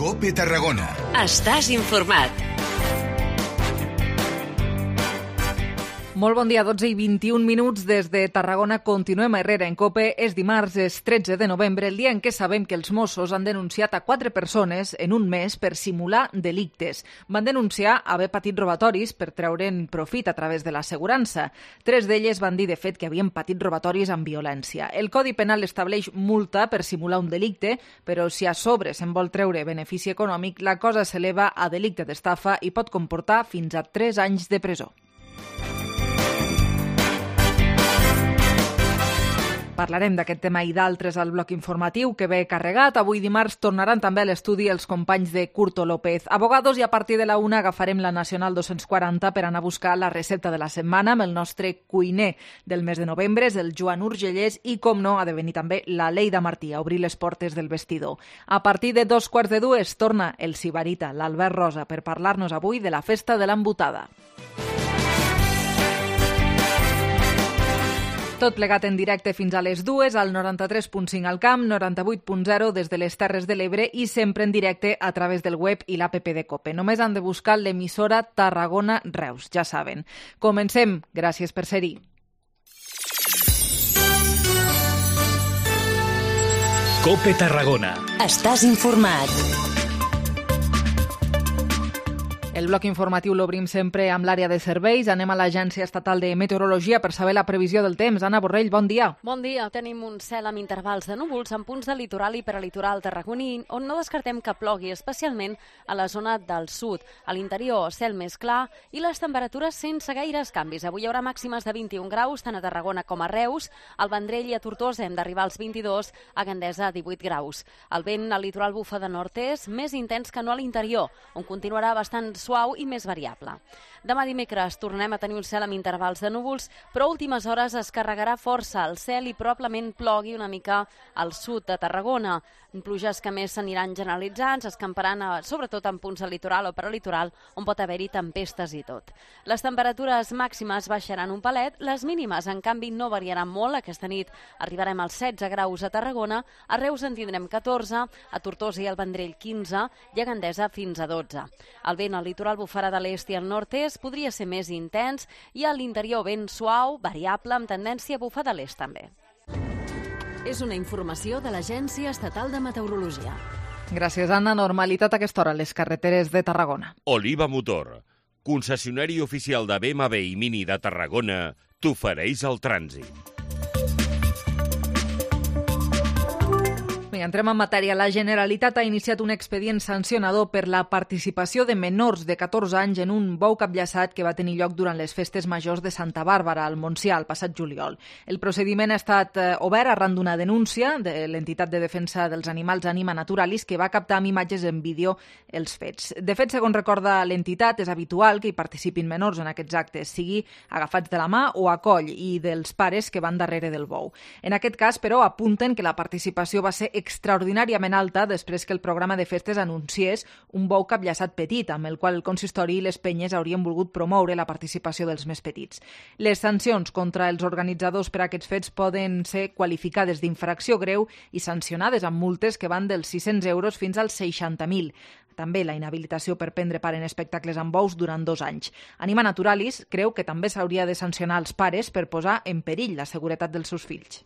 COPE Tarragona. Estàs informat. Molt bon dia, 12 i 21 minuts des de Tarragona. Continuem a Herrera en COPE. És dimarts, és 13 de novembre, el dia en què sabem que els Mossos han denunciat a 4 persones en un mes per simular delictes. Van denunciar haver patit robatoris per treure'n profit a través de l'assegurança. 3 d'elles van dir, de fet, que havien patit robatoris amb violència. El Codi Penal estableix multa per simular un delicte, però si a sobre se'n vol treure benefici econòmic, la cosa s'eleva a delicte d'estafa i pot comportar fins a 3 anys de presó. Parlarem d'aquest tema i d'altres al bloc informatiu que ve carregat. Avui dimarts tornaran també a l'estudi els companys de Curto López. Abogados, i a partir de la 1 agafarem la Nacional 240 per anar a buscar la recepta de la setmana amb el nostre cuiner del mes de novembre, és el Joan Urgellès, i, com no, ha de venir també la Leida Martí a obrir les portes del vestidor. A partir de 2:15 torna el sibarita, l'Albert Rosa, per parlar-nos avui de la festa de l'embotada. Tot plegat en directe fins a les 2, al 93.5 al Camp, 98.0 des de les Terres de l'Ebre i sempre en directe a través del web i l'APP de COPE. Només han de buscar l'emissora Tarragona Reus, ja saben. Comencem. Gràcies per ser-hi. COPE Tarragona. Estàs informat. El bloc informatiu l'obrim sempre amb l'àrea de serveis. Anem a l'Agència Estatal de Meteorologia per saber la previsió del temps. Anna Borrell, bon dia. Bon dia. Tenim un cel amb intervals de núvols en punts de litoral i prelitoral tarragoní, on no descartem que plogui, especialment a la zona del sud. A l'interior, cel més clar i les temperatures sense gaires canvis. Avui hi haurà màximes de 21 graus, tant a Tarragona com a Reus. Al Vendrell i a Tortosa hem d'arribar als 22, a Gandesa 18 graus. El vent al litoral bufa de nord-est, més intens que no a l'interior, on continuarà bastant suau i més variable. Demà dimecres tornem a tenir un cel amb intervals de núvols, però a últimes hores es carregarà força el cel i probablement plogui una mica al sud de Tarragona. Pluges que més s'aniran generalitzant, s'escamparan sobretot en punts del litoral o prelitoral, on pot haver-hi tempestes i tot. Les temperatures màximes baixaran un palet, les mínimes, en canvi, no variaran molt. Aquesta nit arribarem als 16 graus a Tarragona, a Reus en tindrem 14, a Tortosa i al Vendrell 15 i a Gandesa fins a 12. El vent al litoral bufarà de l'est i al nord-est, podria ser més intens, i a l'interior vent suau, variable, amb tendència a bufar de l'est també. És una informació de l'Agència Estatal de Meteorologia. Gràcies, Anna. Normalitat a aquesta hora a les carreteres de Tarragona. Oliva Motor, concessionari oficial de BMW i Mini de Tarragona, t'ofereix el trànsit. Entrem en matèria. La Generalitat ha iniciat un expedient sancionador per la participació de menors de 14 anys en un bou capllaçat que va tenir lloc durant les festes majors de Santa Bàrbara, al Montsià, el passat juliol. El procediment ha estat obert arran d'una denúncia de l'entitat de defensa dels animals Anima Naturalis, que va captar amb imatges en vídeo els fets. De fet, segons recorda l'entitat, és habitual que hi participin menors en aquests actes, sigui agafats de la mà o a coll, i dels pares que van darrere del bou. En aquest cas, però, apunten que la participació va ser extraordinàriament alta després que el programa de festes anunciés un bou capllaçat petit, amb el qual el consistori i les penyes haurien volgut promoure la participació dels més petits. Les sancions contra els organitzadors per a aquests fets poden ser qualificades d'infracció greu i sancionades amb multes que van dels 600 euros fins als 60.000. També la inhabilitació per prendre part en espectacles amb bous durant 2 anys. Anima Naturalis creu que també s'hauria de sancionar els pares per posar en perill la seguretat dels seus fills.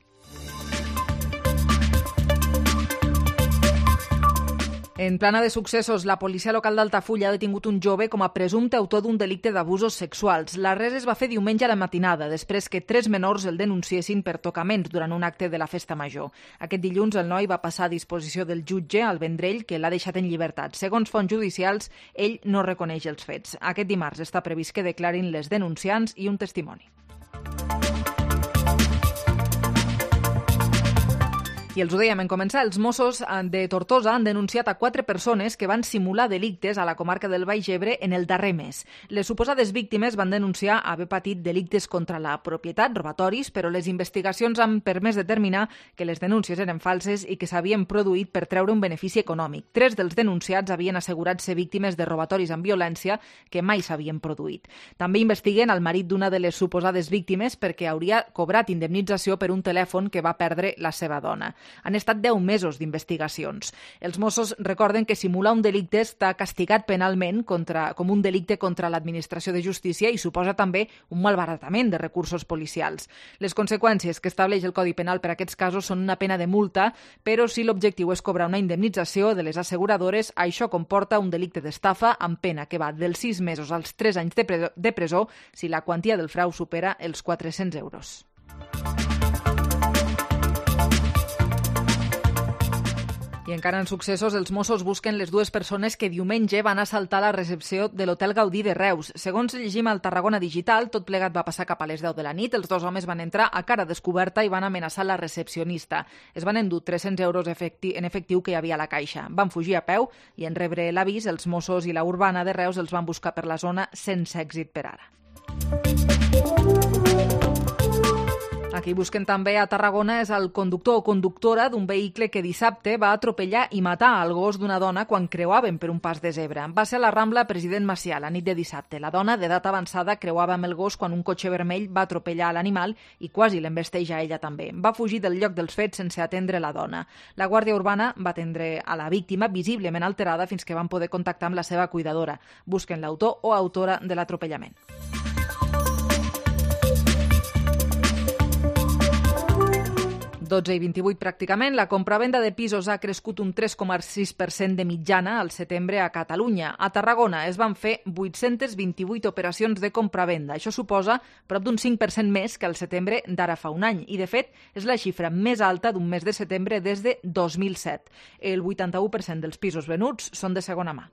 En plana de successos, la policia local d'Altafulla ha detingut un jove com a presumpte autor d'un delicte d'abusos sexuals. L'arrest es va fer diumenge a la matinada, després que 3 menors el denunciessin per tocaments durant un acte de la festa major. Aquest dilluns el noi va passar a disposició del jutge al Vendrell, que l'ha deixat en llibertat. Segons fonts judicials, ell no reconeix els fets. Aquest dimarts està previst que declarin les denunciants i un testimoni. I els ho dèiem en començar, els Mossos de Tortosa han denunciat a 4 persones que van simular delictes a la comarca del Baix Ebre en el darrer mes. Les suposades víctimes van denunciar haver patit delictes contra la propietat, robatoris, però les investigacions han permès determinar que les denúncies eren falses i que s'havien produït per treure un benefici econòmic. 3 dels denunciats havien assegurat ser víctimes de robatoris amb violència que mai s'havien produït. També investiguen el marit d'una de les suposades víctimes perquè hauria cobrat indemnització per un telèfon que va perdre la seva dona. Han estat 10 mesos d'investigacions. Els Mossos recorden que simular un delicte està castigat penalment com un delicte contra l'administració de justícia i suposa també un malbaratament de recursos policials. Les conseqüències que estableix el Codi Penal per a aquests casos són una pena de multa, però si l'objectiu és cobrar una indemnització de les asseguradores, això comporta un delicte d'estafa amb pena que va dels 6 mesos als 3 anys de presó si la quantia del frau supera els 400 euros. I encara en successos, els Mossos busquen les 2 persones que diumenge van assaltar la recepció de l'Hotel Gaudí de Reus. Segons llegim al Tarragona Digital, tot plegat va passar cap a les 10 de la nit. Els 2 homes van entrar a cara descoberta i van amenaçar la recepcionista. Es van endur 300 euros en efectiu que hi havia a la caixa. Van fugir a peu i en rebre l'avís, els Mossos i la Urbana de Reus els van buscar per la zona sense èxit per ara. Qui busquen també a Tarragona és el conductor o conductora d'un vehicle que dissabte va atropellar i matar el gos d'una dona quan creuaven per un pas de zebra. Va ser a la Rambla President Macià la nit de dissabte. La dona, d'edat avançada, creuava amb el gos quan un cotxe vermell va atropellar l'animal i quasi l'embesteja a ella també. Va fugir del lloc dels fets sense atendre la dona. La Guàrdia Urbana va atendre a la víctima visiblement alterada fins que van poder contactar amb la seva cuidadora. Busquen l'autor o autora de l'atropellament. 12,28 pràcticament, la compravenda de pisos ha crescut un 3,6% de mitjana al setembre a Catalunya. A Tarragona es van fer 828 operacions de compravenda. Això suposa prop d'un 5% més que al setembre d'ara fa un any. I, de fet, és la xifra més alta d'un mes de setembre des de 2007. El 81% dels pisos venuts són de segona mà.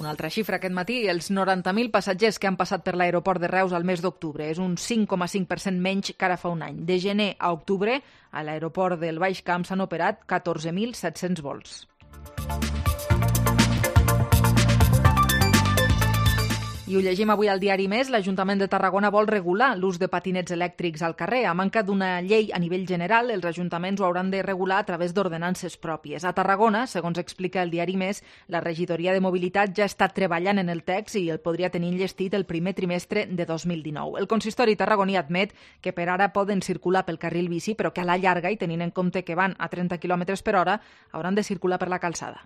Una altra xifra aquest matí, els 90.000 passatgers que han passat per l'aeroport de Reus al mes d'octubre. És un 5,5% menys que ara fa un any. De gener a octubre, a l'aeroport del Baix Camp s'han operat 14.700 vols. I ho llegim avui al diari Més, l'Ajuntament de Tarragona vol regular l'ús de patinets elèctrics al carrer. A manca d'una llei a nivell general, els ajuntaments ho hauran de regular a través d'ordenances pròpies. A Tarragona, segons explica el diari Més, la regidoria de mobilitat ja està treballant en el text i el podria tenir enllestit el primer trimestre de 2019. El consistori tarragoní admet que per ara poden circular pel carril bici, però que a la llarga, i tenint en compte que van a 30 km per hora, hauran de circular per la calçada.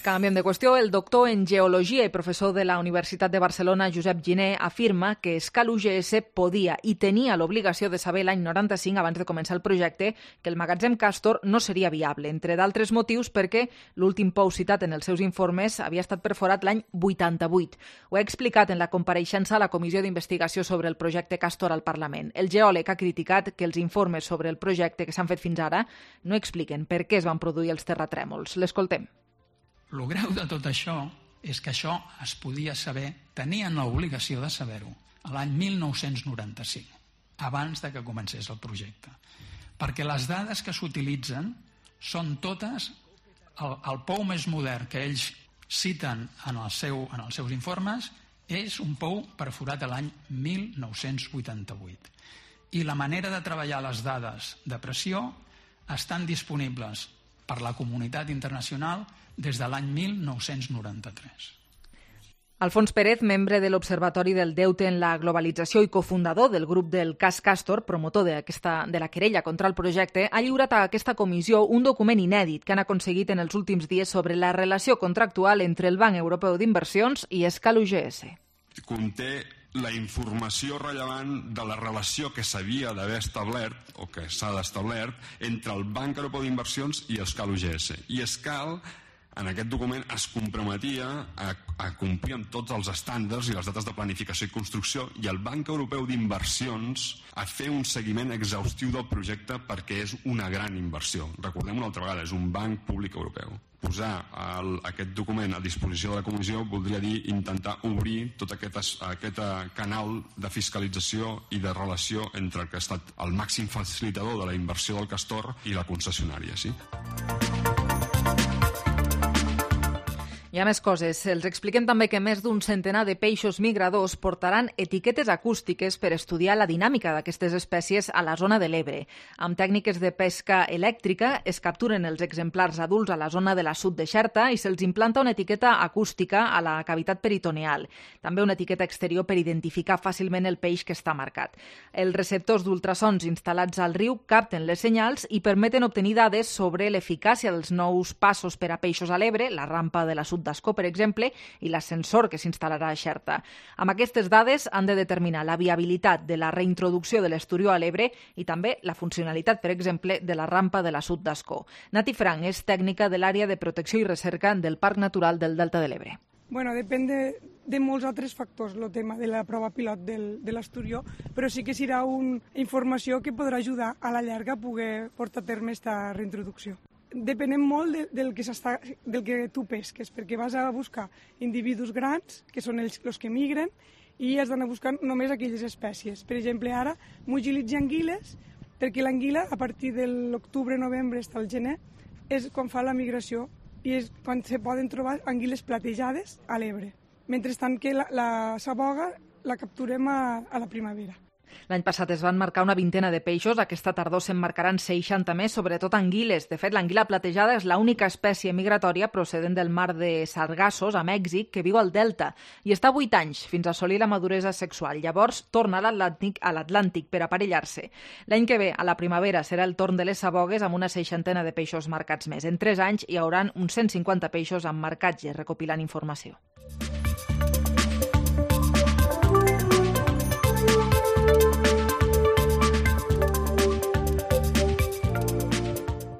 Canviem de qüestió. El doctor en Geologia i professor de la Universitat de Barcelona, Josep Giner, afirma que Escal UGS podia i tenia l'obligació de saber l'any 95, abans de començar el projecte, que el magatzem Castor no seria viable, entre d'altres motius perquè l'últim pou citat en els seus informes havia estat perforat l'any 88. Ho he explicat en la compareixença a la Comissió d'Investigació sobre el projecte Castor al Parlament. El geòleg ha criticat que els informes sobre el projecte que s'han fet fins ara no expliquen per què es van produir els terratrèmols. L'escoltem. El greu de tot això és que això es podia saber, tenien l'obligació de saber-ho, l'any 1995, abans de que comencés el projecte. Perquè les dades que s'utilitzen són totes el pou més modern que ells citen en els seus informes és un pou perforat l'any 1988. I la manera de treballar les dades de pressió estan disponibles per la comunitat internacional des de l'any 1993. Alfons Pérez, membre de l'Observatori del Deute en la Globalització i cofundador del grup del cas Castor, promotor de la querella contra el projecte, ha lliurat a aquesta comissió un document inèdit que han aconseguit en els últims dies sobre la relació contractual entre el Banc Europeu d'Inversions i Escal UGS. Conté la informació rellevant de la relació que s'havia d'haver establert o que s'ha d'establert entre el Banc Europeu d'Inversions i Escal UGS. I Escal, en aquest document, es comprometia a complir amb tots els estàndards i les dates de planificació i construcció, i el Banc Europeu d'Inversions a fer un seguiment exhaustiu del projecte perquè és una gran inversió. Recordem una altra vegada, és un banc públic europeu. Posar aquest document a disposició de la comissió voldria dir intentar obrir tot aquest canal de fiscalització i de relació entre el que ha estat el màxim facilitador de la inversió del Castor i la concessionària, sí? Hi ha més coses. Els expliquem també que més d'un centenar de peixos migradors portaran etiquetes acústiques per estudiar la dinàmica d'aquestes espècies a la zona de l'Ebre. Amb tècniques de pesca elèctrica es capturen els exemplars adults a la zona de la sud de Xerta i se'ls implanta una etiqueta acústica a la cavitat peritoneal. També una etiqueta exterior per identificar fàcilment el peix que està marcat. Els receptors d'ultrasons instal·lats al riu capten les senyals i permeten obtenir dades sobre l'eficàcia dels nous passos per a peixos a l'Ebre, la rampa de la sud d'Ascó, per exemple, i l'ascensor que s'instal·larà a Xerta. Amb aquestes dades han de determinar la viabilitat de la reintroducció de l'esturió a l'Ebre i també la funcionalitat, per exemple, de la rampa de la sud d'Ascó. Nati Frank és tècnica de l'àrea de protecció i recerca del Parc Natural del Delta de l'Ebre. Bueno, depèn de molts altres factors, el tema de la prova pilot de l'esturió, però sí que serà una informació que podrà ajudar a la llarga a poder portar a terme aquesta reintroducció. Depenem molt del que tu pesques, perquè vas a buscar individus grans, que són els que migren, i has d'anar buscant només aquelles espècies. Per exemple, ara m'utilitzo anguiles, perquè l'anguila, a partir de l'octubre, novembre, fins al gener, és quan fa la migració, i és quan se poden trobar anguiles platejades a l'Ebre. Mentrestant que la saboga la capturem a la primavera. L'any passat es van marcar una vintena de peixos, aquesta tardor se'n marcaran 60 més, sobretot anguiles. De fet, l'anguila platejada és l'única espècie migratòria procedent del mar de Sargassos, a Mèxic, que viu al delta, i està 8 anys fins a assolir la maduresa sexual. Llavors torna a l'Atlàntic per aparellar-se. L'any que ve, a la primavera, serà el torn de les sabogues amb una 60 de peixos marcats més. En 3 anys hi haurà uns 150 peixos amb marcatge, recopilant informació.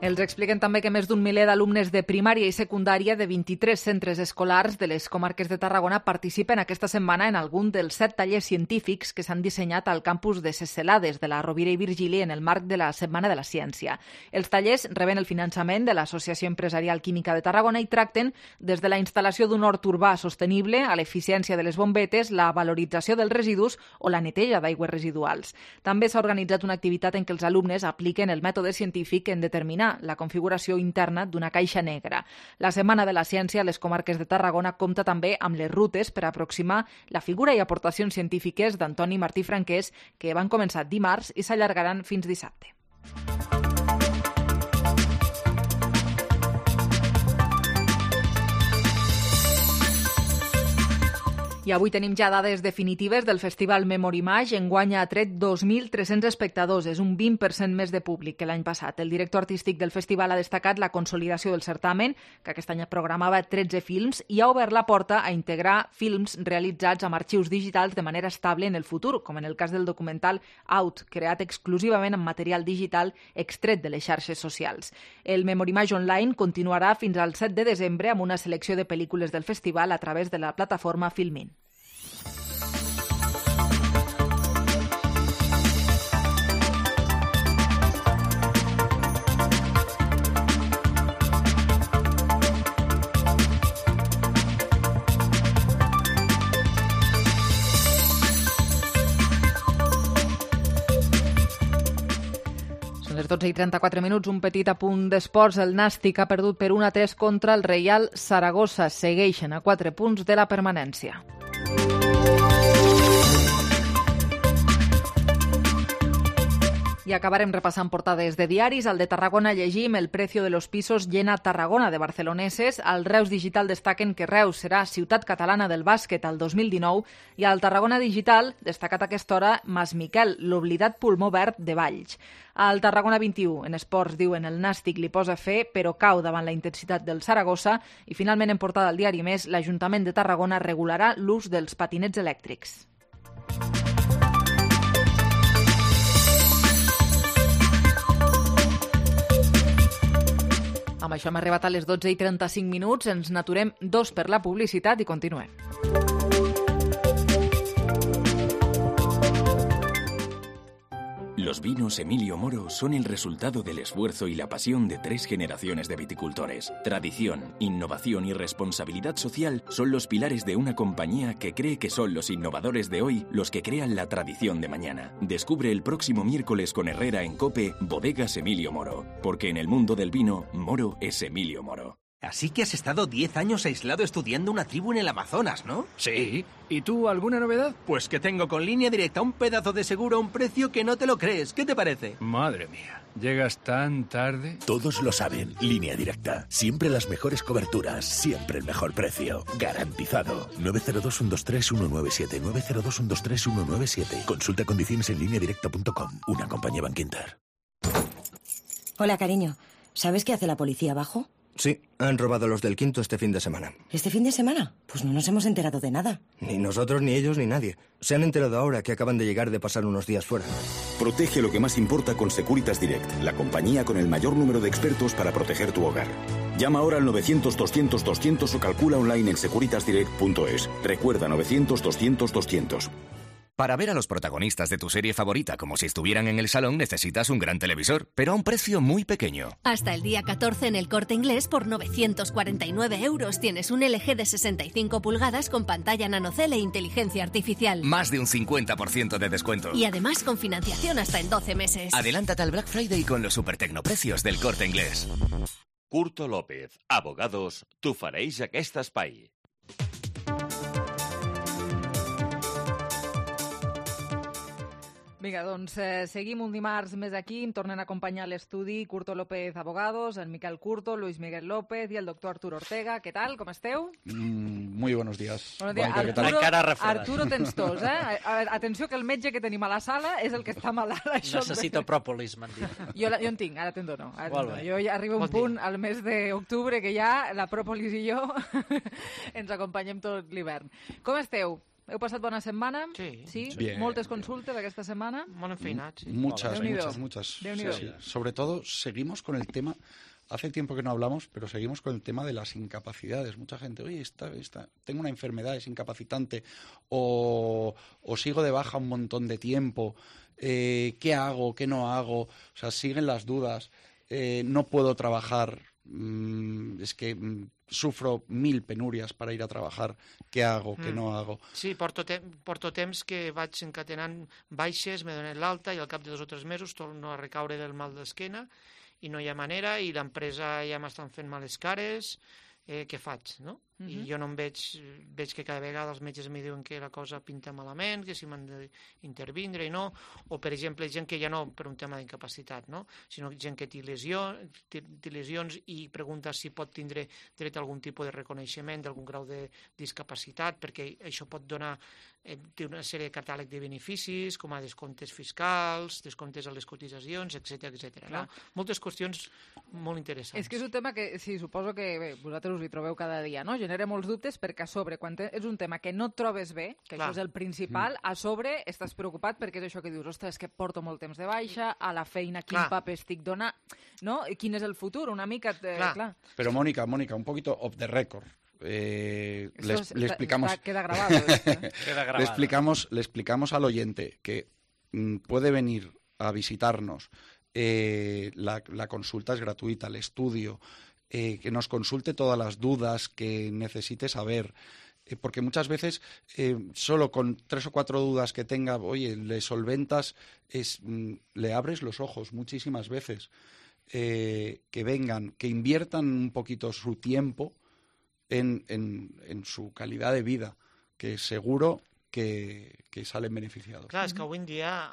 Els expliquen també que més d'un miler d'alumnes de primària i secundària de 23 centres escolars de les comarques de Tarragona participen aquesta setmana en algun dels 7 tallers científics que s'han dissenyat al campus de Ses Celades de la Rovira i Virgili en el marc de la Setmana de la Ciència. Els tallers reben el finançament de l'Associació Empresarial Química de Tarragona i tracten des de la instal·lació d'un hort urbà sostenible a l'eficiència de les bombetes, la valorització dels residus o la neteja d'aigües residuals. També s'ha organitzat una activitat en què els alumnes apliquen el mètode científic en determinar la configuració interna d'una caixa negra. La Setmana de la Ciència a les comarques de Tarragona compta també amb les rutes per aproximar la figura i aportacions científiques d'Antoni Martí Franquès, que van començar dimarts i s'allargaran fins dissabte. I avui tenim ja dades definitives del Festival Memorimage. Enguany ha tret 2.300 espectadors, és un 20% més de públic que l'any passat. El director artístic del festival ha destacat la consolidació del certamen, que aquest any programava 13 films, i ha obert la porta a integrar films realitzats amb arxius digitals de manera estable en el futur, com en el cas del documental Out, creat exclusivament amb material digital extret de les xarxes socials. El Memorimage Online continuarà fins al 7 de desembre amb una selecció de pel·lícules del festival a través de la plataforma Filmin. Les 12:34, un petit apunt d'esports. El Nàstic ha perdut per 1-3 contra el Reial Saragossa. Segueixen a 4 punts de la permanència. I acabarem repassant portades de diaris. Al de Tarragona llegim: el precio de los pisos llena Tarragona de barceloneses. Al Reus Digital destaquen que Reus serà ciutat catalana del bàsquet al 2019. I al Tarragona Digital, destacat a aquesta hora, Mas Miquel, l'oblidat pulmó verd de Valls. Al Tarragona 21, en esports, diuen: el Nàstic li posa fe, però cau davant la intensitat del Saragossa. I finalment, en portada al diari Més, l'Ajuntament de Tarragona regularà l'ús dels patinets elèctrics. Amb això hem arribat a les 12:35. Ens n'aturem 2 per la publicitat i continuem. Los vinos Emilio Moro son el resultado del esfuerzo y la pasión de 3 generaciones de viticultores. Tradición, innovación y responsabilidad social son los pilares de una compañía que cree que son los innovadores de hoy los que crean la tradición de mañana. Descubre el próximo miércoles con Herrera en COPE Bodegas Emilio Moro, porque en el mundo del vino, Moro es Emilio Moro. Así que has estado 10 años aislado estudiando una tribu en el Amazonas, ¿no? Sí. ¿Y tú, alguna novedad? Pues que tengo con Línea Directa un pedazo de seguro a un precio que no te lo crees. ¿Qué te parece? Madre mía, ¿llegas tan tarde? Todos lo saben. Línea Directa. Siempre las mejores coberturas. Siempre el mejor precio. Garantizado. 902-123-197. 902-123-197. Consulta condiciones en lineadirecta.com. Una compañía Bankinter. Hola, cariño. ¿Sabes qué hace la policía abajo? Sí, han robado los del Quinto este fin de semana. ¿Este fin de semana? Pues no nos hemos enterado de nada. Ni nosotros, ni ellos, ni nadie. Se han enterado ahora que acaban de llegar de pasar unos días fuera. Protege lo que más importa con Securitas Direct, la compañía con el mayor número de expertos para proteger tu hogar. Llama ahora al 900-200-200 o calcula online en securitasdirect.es. Recuerda 900-200-200. Para ver a los protagonistas de tu serie favorita como si estuvieran en el salón necesitas un gran televisor, pero a un precio muy pequeño. Hasta el día 14 en El Corte Inglés por 949 € tienes un LG de 65 pulgadas con pantalla nanocell e inteligencia artificial. Más de un 50% de descuento. Y además con financiación hasta en 12 meses. Adelántate al Black Friday con los supertecnoprecios del Corte Inglés. Curto López, abogados, t'ofereix aquest espai. Vinga, doncs seguim un dimarts més aquí. Em tornen a acompanyar a l'estudi Curto López Abogados, el Miquel Curto, Luis Miguel López i el doctor Arturo Ortega. Què tal? Com esteu? Muy buenos días. Buenos días. Arturo tens tos, eh? Atenció que el metge que tenim a la sala és el que està malalt. Necessito pròpolis, m'han dit. Jo en tinc, ara te'n dono. Jo ja arribo a un punt al mes d'octubre que ja la pròpolis i jo ens acompanyem tot l'hivern. Com esteu? ¿Heu passat bona setmana? Sí. Bien. ¿Moltes consultes aquesta setmana? Molt enfeinat, sí. Muchas. Sí. Sobre todo, seguimos con el tema, hace tiempo que no hablamos, pero seguimos con el tema de las incapacidades. Mucha gente, oye, tengo una enfermedad, es incapacitante, o sigo de baja un montón de tiempo, ¿qué hago, qué no hago? O sea, siguen las dudas, no puedo trabajar, es que sufro 1000 penúries per ir a treballar, què hago, què no hago. Sí, porto temps que vaig encatenant baixes, me donen l'alta i al cap de 2 o 3 mesos torno a recaure del mal d'esquena i no hi ha manera i l'empresa ja m'estan fent males cares, què faig, no? I jo no em veig que cada vegada els metges em diuen que la cosa pinta malament, que si m'han d'intervindre i no, o per exemple gent que ja no per un tema d'incapacitat, no? Sinó gent que té lesions i pregunta si pot tindre dret a algun tipus de reconeixement d'algun grau de discapacitat, perquè això pot donar té una sèrie de catàleg de beneficis, com a descomptes fiscals, descomptes a les cotitzacions, etc. No? Moltes qüestions molt interessants. És que és un tema que, sí, suposo que vosaltres us hi trobeu cada dia, no? Genera molts dubtes perquè a sobre, quan és un tema que no et trobes bé, que això és el principal, a sobre estàs preocupat perquè és això que dius, ostres, que porto molt temps de baixa, a la feina quin paper estic donant, no? I quin és el futur? Una mica... Clar. Pero Mónica, un poquito off the record. Le explicamos queda grabado, le explicamos al oyente que puede venir a visitarnos, la consulta es gratuita, el estudio, que nos consulte todas las dudas que necesite saber, porque muchas veces solo con 3 o 4 dudas que tenga, oye, le solventas, le abres los ojos muchísimas veces, que vengan, que inviertan un poquito su tiempo en su calidad de vida, que seguro que salen beneficiados. Clar, és que avui en dia,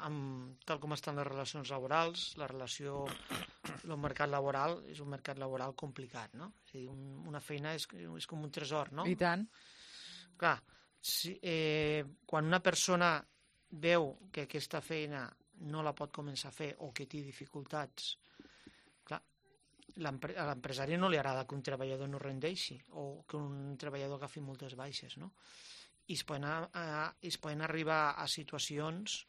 tal com estan les relacions laborals, el mercat laboral és un mercat laboral complicat, no? És a dir, una feina és com un tresor, no? I tant. Clar, quan una persona veu que aquesta feina no la pot començar a fer o que té dificultats, a l'empresari no li agrada que un treballador no rendeixi o que un treballador agafi moltes baixes, no? I es poden arribar a situacions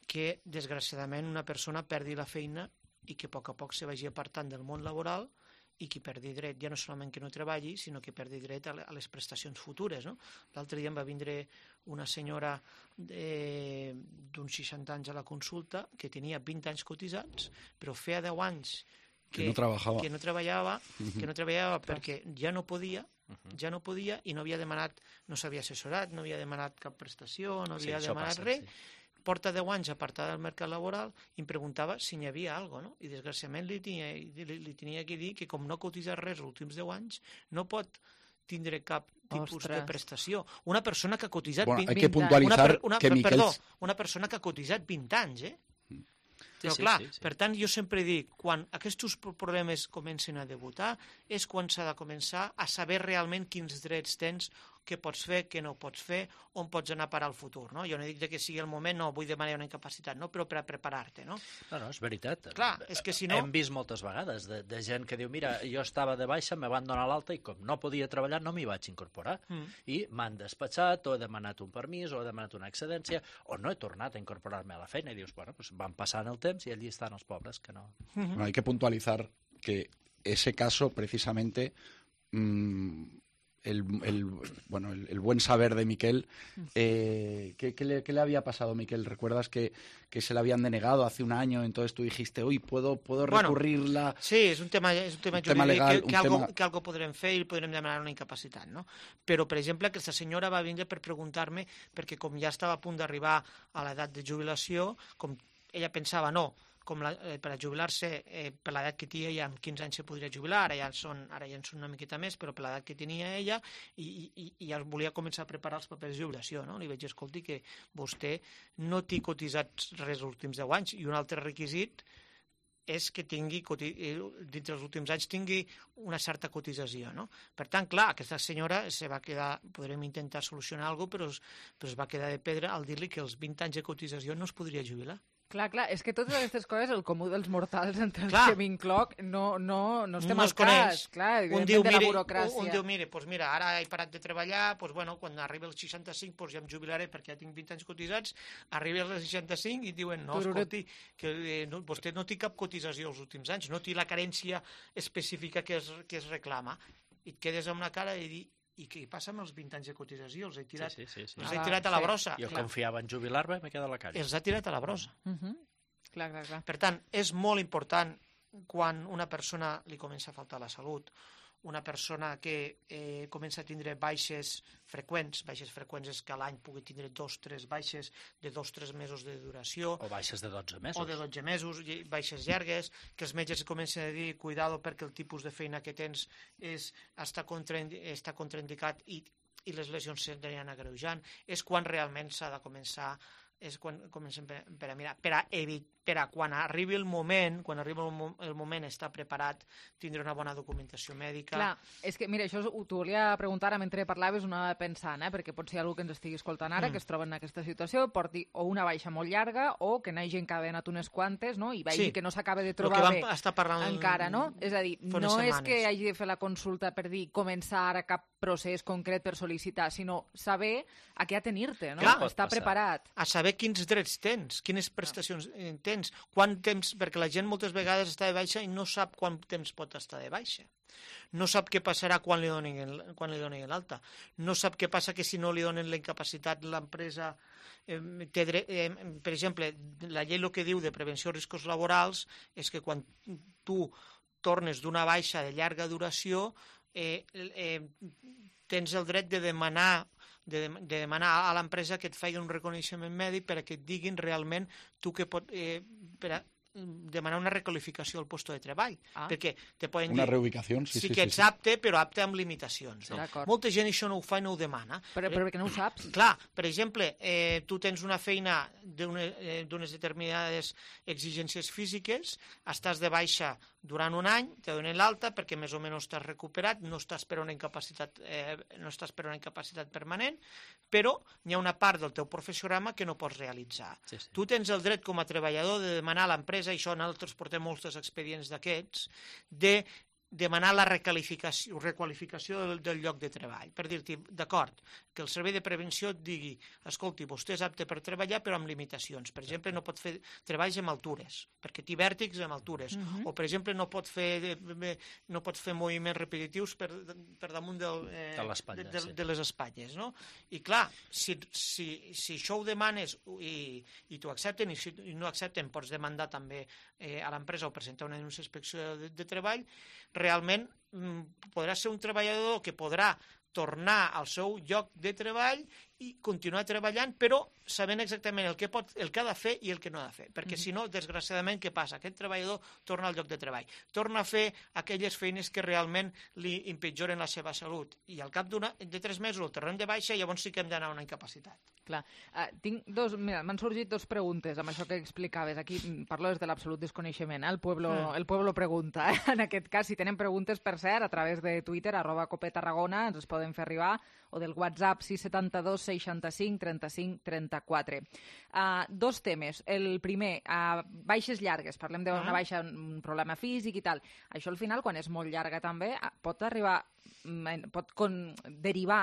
que, desgraciadament, una persona perdi la feina i que a poc se vagi apartant del món laboral i que perdi dret, ja no solament que no treballi, sinó que perdi dret a les prestacions futures, no? L'altre dia em va vindre una senyora d'uns 60 anys a la consulta que tenia 20 anys cotitzats, però feia 10 anys que no treballava perquè ja no podia i no havia demanat, no s'havia assessorat, no havia demanat cap prestació, no havia demanat res, porta 10 anys apartada del mercat laboral i em preguntava si n'hi havia alguna cosa, no? I desgraciadament li tenia que dir que com no ha cotitzat res els últims 10 anys, no pot tindre cap tipus de prestació. Una persona que ha cotitzat 20 anys. Hay que puntualitzar que Miquel... Perdó, una persona que ha cotitzat 20 anys, Però clar, per tant, jo sempre dic, quan aquests problemes comencen a debutar, és quan s'ha de començar a saber realment quins drets tens, què pots fer, què no pots fer, on pots anar a parar al futur. No? Jo no dic que sigui el moment, no vull demanar una incapacitat, no? Però per a preparar-te. No? No, és veritat. Clar, és que si no... Hem vist moltes vegades de gent que diu, mira, jo estava de baixa, me van donar l'alta i com no podia treballar no m'hi vaig incorporar. I m'han despatxat, o he demanat un permís, o he demanat una excedència, o no he tornat a incorporar-me a la feina. I dius, bueno, pues van passant el temps i allí estan els pobres que no... Bueno, hay que puntualizar que ese caso precisamente... El buen saber de Miquel. ¿Qué le había pasado, Miquel? ¿Recuerdas que se le habían denegado hace un año? Entonces tú dijiste, uy, ¿puedo recurrirla? Sí, és un tema jurídic legal, que algo podrem fer i podrem demanar una incapacitat, no? Però, per exemple, aquesta senyora va vindre per preguntar-me, perquè com ja estava a punt d'arribar a l'edat de jubilació, com ella pensava, no, per a jubilar-se, per l'edat que tenia ja amb 15 anys se podria jubilar, ara ja en són una miqueta més, però per l'edat que tenia ella, i ja volia començar a preparar els papers de jubilació, no? Li vaig dir, escolti, que vostè no té cotitzat res els últims 10 anys, i un altre requisit és que tingui, dintre els últims anys, tingui una certa cotització, no? Per tant, clar, aquesta senyora se va quedar, podrem intentar solucionar alguna cosa, però es va quedar de pedra al dir-li que els 20 anys de cotització no es podria jubilar. Clar, és que totes aquestes coses, el comú dels mortals, entre els que m'incloc, no estem al cas. Clar, un diu, de la burocràcia. Un diu, mira, ara he parat de treballar, quan arribi als 65 ja em jubilaré perquè ja tinc 20 anys cotitzats, arribi als 65 i diuen, no, escolti, que vostè no té cap cotització els últims anys, no té la carència específica que es reclama. I et quedes amb una cara i dir, i què passa amb els 20 anys de cotització? Els he tirat a la brossa. Jo confiava en jubilar-me i m'he quedat a la calle. Els ha tirat a la brossa. Clar. Per tant, és molt important quan una persona li comença a faltar la salut, una persona que comença a tindre baixes freqüents és que a l'any pugui tindre 2 o 3 baixes de 2 o 3 mesos de duració. O baixes de 12 mesos. O de 12 mesos, baixes llargues, que els metges comencen a dir, cuidado perquè el tipus de feina que tens està contraindicat i les lesions s'aniran agreujant. És quan realment s'ha de començar, és quan comencem per a mirar, per a quan arribi el moment, estar preparat, tindre una bona documentació mèdica. Clar, és que, mira, això t'ho volia preguntar ara mentre parlaves, una pensant, perquè pot ser algú que ens estigui escoltant ara, que es troba en aquesta situació, porti o una baixa molt llarga o que n'hagi encara anat unes quantes, no? I vegi que no s'acaba de trobar bé encara, no? És a dir, no és que hagi de fer la consulta per dir començar ara cap procés concret per sol·licitar, sinó saber a què atenir-te, no? Estar preparat. A saber quins drets tens, quines prestacions tens, quant temps, perquè la gent moltes vegades està de baixa i no sap quant temps pot estar de baixa. No sap què passarà quan li donin l'alta. No sap què passa que si no li donen la incapacitat l'empresa té dret... Per exemple, la llei el que diu de prevenció de riscos laborals és que quan tu tornes d'una baixa de llarga duració tens el dret de demanar a l'empresa que et faci un reconeixement mèdic per a que et diguin realment tu que pot... demanar una requalificació al lloc de treball, perquè te poden dir sí que ets apte, però apte amb limitacions. Molta gent això no ho fa i no ho demana. Però perquè no ho saps. Clar, per exemple, tu tens una feina d'unes determinades exigències físiques, estàs de baixa durant un any, te donen l'alta perquè més o menys estàs recuperat, no estàs per una incapacitat permanent, però hi ha una part del teu professional que no pots realitzar. Tu tens el dret com a treballador de demanar a l'empresa, i això nosaltres portem molts expedients d'aquests, de demanar la requalificació del lloc de treball, per dir-te, d'acord, que el servei de prevenció et digui, escolti, vostè és apte per treballar però amb limitacions. Per exemple, no pot fer treballs amb altures, perquè té vèrtics amb altures, o per exemple no pot fer moviments repetitius per damunt de les espatlles. I clar, si això ho demanes i t'ho accepten, i si no accepten pots demandar també a l'empresa o presentar una denúncia d'inspecció de treball, realment podrà ser un treballador que podrà tornar al seu lloc de treball i continuar treballant, però sabent exactament el que ha de fer i el que no ha de fer. Perquè si no, desgraciadament, què passa? Aquest treballador torna al lloc de treball. Torna a fer aquelles feines que realment li empitjoren la seva salut. I al cap de 3 mesos el tornem de baixa i llavors sí que hem d'anar a una incapacitat. Clar. Mira, m'han sorgit 2 preguntes amb això que explicaves. Aquí parlo des de l'absolut desconeixement. El pueblo pregunta. En aquest cas, si tenen preguntes, per cert, a través de Twitter, @copetarragona, ens les poden fer arribar, o del WhatsApp 672 65 35 34. 2 temes. El primer, baixes llargues. Parlem d'una baixa, un problema físic i tal. Això al final, quan és molt llarga també, pot derivar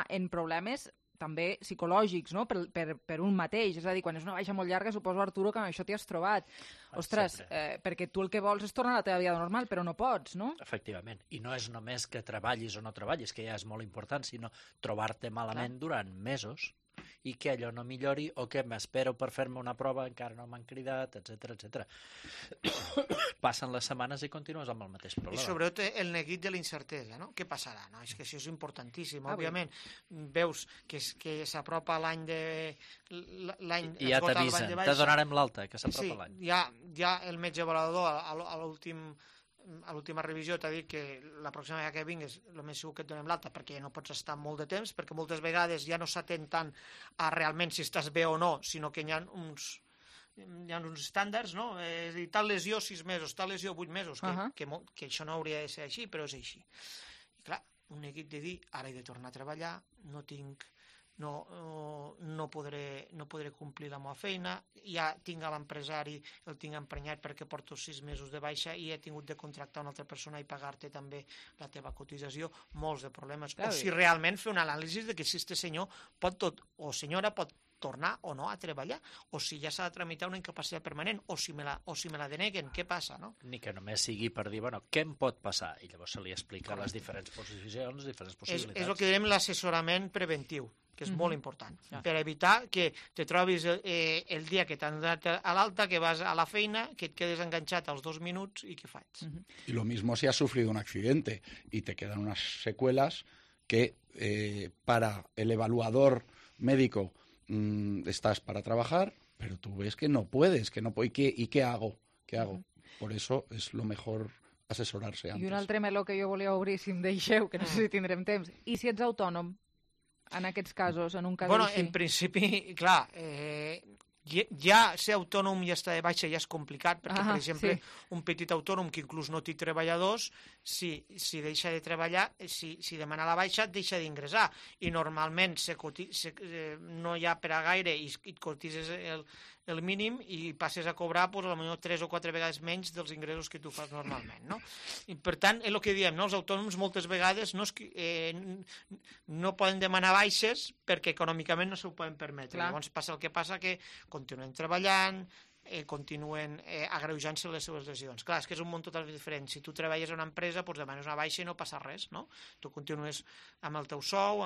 en problemes també psicològics, no? per un mateix. És a dir, quan és una baixa molt llarga, suposo, Arturo, que amb això t'hi has trobat. Ostres, perquè tu el que vols és tornar a la teva vida normal, però no pots, no? Efectivament. I no és només que treballis o no treballis, que ja és molt important, sinó trobar-te malament durant mesos i que allò no millori, o que m'espero per fer-me una prova, encara no m'han cridat, etc. Passen les setmanes i continues amb el mateix problema. I sobretot el neguit de la incertesa, no? Què passarà? No? És que això és importantíssim. Òbviament, veus que s'apropa l'any de... I ja t'avisen, te donarem l'alta, que s'apropa l'any. Sí, ja el metge avaluador a l'última revisió t'ha dit que la pròxima vegada que vinguis el més segur que et donem l'alta, perquè ja no pots estar molt de temps, perquè moltes vegades ja no s'atén tant a realment si estàs bé o no, sinó que hi ha uns estàndards, no? És a dir, tal lesió 6 mesos, tal lesió 8 mesos, que això no hauria de ser així, però és així. I clar, un neguit de dir, ara he de tornar a treballar, no podré complir la meva feina, ja tinc a l'empresari, el tinc emprenyat perquè porto 6 mesos de baixa i he tingut de contractar una altra persona i pagar-te també la teva cotització, molts de problemes. O si realment fer un anàlisi de que si este senyor o senyora pot tornar o no a treballar, o si ja s'ha de tramitar una incapacitat permanent, o si me la deneguen, què passa, no? Ni que només sigui per dir, bueno, què em pot passar? I llavors se li explica les diferents posicions, diferents possibilitats. És el que direm l'assessorament preventiu, que és molt important, per evitar que te trobis el dia que t'han donat a l'alta, que vas a la feina, que et quedes enganxat als 2 minuts i què faig? Y lo mismo si has sufrido un accidente y te quedan unas secuelas que para el evaluador médico estás para trabajar, pero tú ves que no puedes, ¿y qué hago? Por eso es lo mejor asesorarse antes. I un altre meló que jo volia obrir, si em deixeu, que no sé si tindrem temps. I si ets autònom, en aquests casos, en un cas així? En principi, clar, ja ser autònom i estar de baixa ja és complicat, perquè, per exemple, un petit autònom que inclús no té treballadors, si deixa de treballar, si demana la baixa, deixa d'ingressar. I normalment no hi ha per a gaire i et cotitzes el mínim i passes a cobrar potser 3 o 4 vegades menys dels ingressos que tu fas normalment, no? I per tant, és el que diem, no? Els autònoms moltes vegades no poden demanar baixes perquè econòmicament no s'ho poden permetre. Llavors passa el que passa, que continuen treballant, continuen agreujant-se les seves lesions. Clar, és que és un món totalment diferent. Si tu treballes a una empresa, doncs demanes una baixa i no passa res, no? Tu continues amb el teu sou,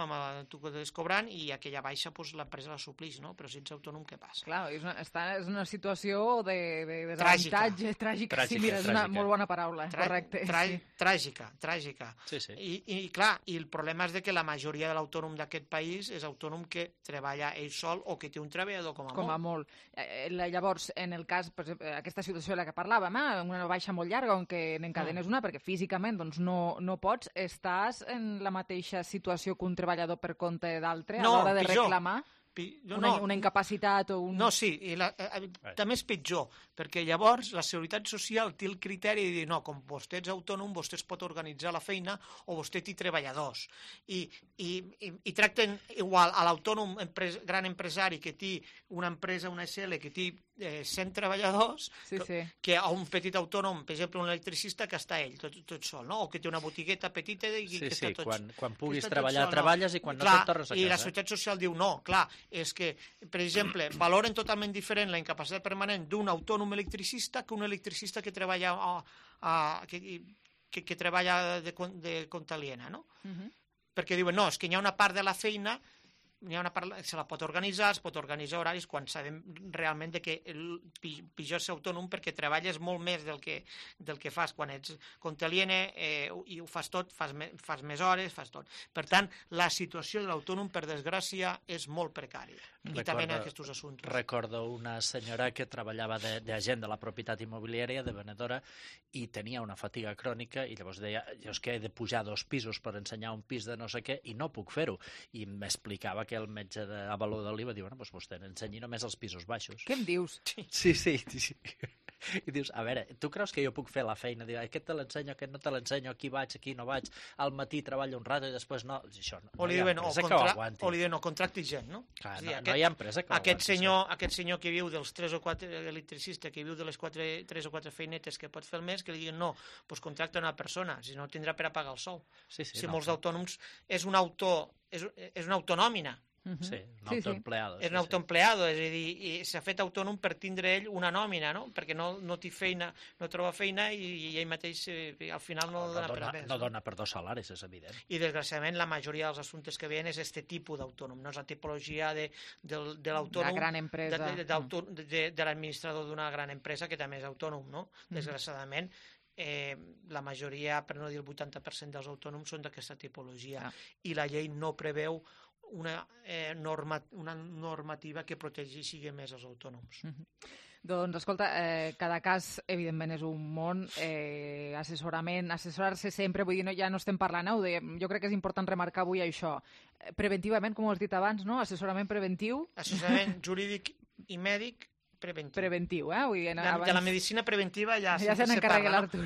tu continues cobrant i aquella baixa l'empresa la suplix, no? Però si ets autònom, què passa? Clar, és una situació de desavantatge, tràgica. Sí, mira, és una molt bona paraula, correcte. Tràgica. I clar, i el problema és que la majoria de l'autònom d'aquest país és autònom que treballa ell sol o que té un treballador com a molt. Llavors, en el cas, per exemple, aquesta situació de la que parlàvem, una baixa molt llarga on que n'encadenes una perquè físicament no pots, estàs en la mateixa situació que un treballador per compte d'altre a l'hora de reclamar una incapacitat o un... No, sí, també és pitjor, perquè llavors la Seguretat Social té el criteri de dir, no, com vostè és autònom, vostè es pot organitzar la feina o vostè té treballadors. I tracten igual a l'autònom gran empresari que té una empresa, una SL, que té 100 treballadors, que a un petit autònom, per exemple, un electricista, que està ell, tot sol, no? O que té una botigueta petita i que està tot sol. Quan puguis treballar, treballes, i quan no tot tornes a casa. I la Seguretat Social diu, no, clar, és que, per exemple, valoren totalment diferent la incapacitat permanent d'un autònom electricista que un electricista que treballa que treballa de compte aliena, no? Perquè diuen, no, és que hi ha una part de la feina se la pot organitzar, es pot organitzar horaris quan sabem realment que pitjor ser autònom perquè treballes molt més del que fas quan ets conteliene i ho fas tot, fas més hores, fas tot. Per tant, la situació de l'autònom, per desgràcia, és molt precària. I també en aquests assumptes. Recordo una senyora que treballava d'agent de la propietat immobiliària, de venedora, i tenia una fatiga crònica i llavors deia, jo és que he de pujar 2 pisos per ensenyar un pis de no sé què i no puc fer-ho. I m'explicava que el metge d'Avaló de l'Iva diu, bueno, doncs vostè n'ensenyi només els pisos baixos. Què em dius? Sí. I dius, a veure, tu creus que jo puc fer la feina? Diu, aquest te l'ensenyo, aquest no te l'ensenyo, aquí vaig, aquí no vaig, al matí treballo un rato i després no. Això no, o li diuen, no contracti gent, no? Clar, no hi ha empresa que ho aguanti. Aquest senyor que viu dels 3 o 4 electricistes, que viu de les 3 o 4 feinetes que pot fer el mes, que li diuen, no, doncs contracta una persona, si no tindrà per a pagar el sou. Si molts autònoms és una autonòmina. Sí, un autoempleado. És un autoempleado, és a dir, s'ha fet autònom per tindre ell una nòmina, no? Perquè no té feina, no troba feina i ell mateix al final no dona per res. No dona per 2 salaris, és evident. I desgraciadament la majoria dels assumptes que veien és aquest tipus d'autònom, no és la tipologia de l'autònom, la gran empresa, de l'administrador d'una gran empresa que també és autònom, no? Desgraciadament, la majoria, per no dir el 80% dels autònoms són d'aquesta tipologia i la llei no preveu una normativa que protegeixi més els autònoms. Doncs, escolta, cada cas, evidentment, és un món. Assessorar-se sempre, vull dir, ja no estem parlant, jo crec que és important remarcar avui això. Preventivament, com ho has dit abans, no? Assessorament preventiu. Assessorament jurídic i mèdic preventiu. Preventiu, Vull dir, de la medicina preventiva ja se n'encarrega l'Artur.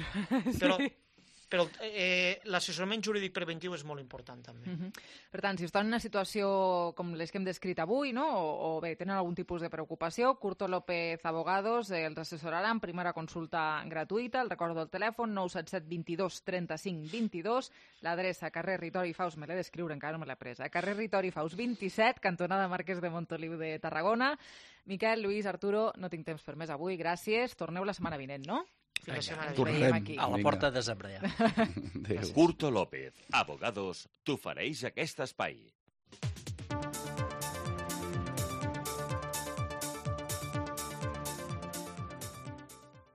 Però l'assessorament jurídic preventiu és molt important també. Per tant, si estan en una situació com les que hem descrit avui, no? o bé, tenen algun tipus de preocupació, Curto López Abogados els assessoraran, primera consulta gratuïta, el recordo del telèfon 977 22 35 22, l'adreça carrer Ritori Faus, me l'he d'escriure, encara no me l'he presa, carrer Ritori Faus 27, cantonada Marquès de Montoliu de Tarragona. Miquel, Lluís, Arturo, no tinc temps per més avui, gràcies. Torneu la setmana vinent, no? Tornem a la porta de desembre. Curto López, Abogados, t'ofereix aquest espai.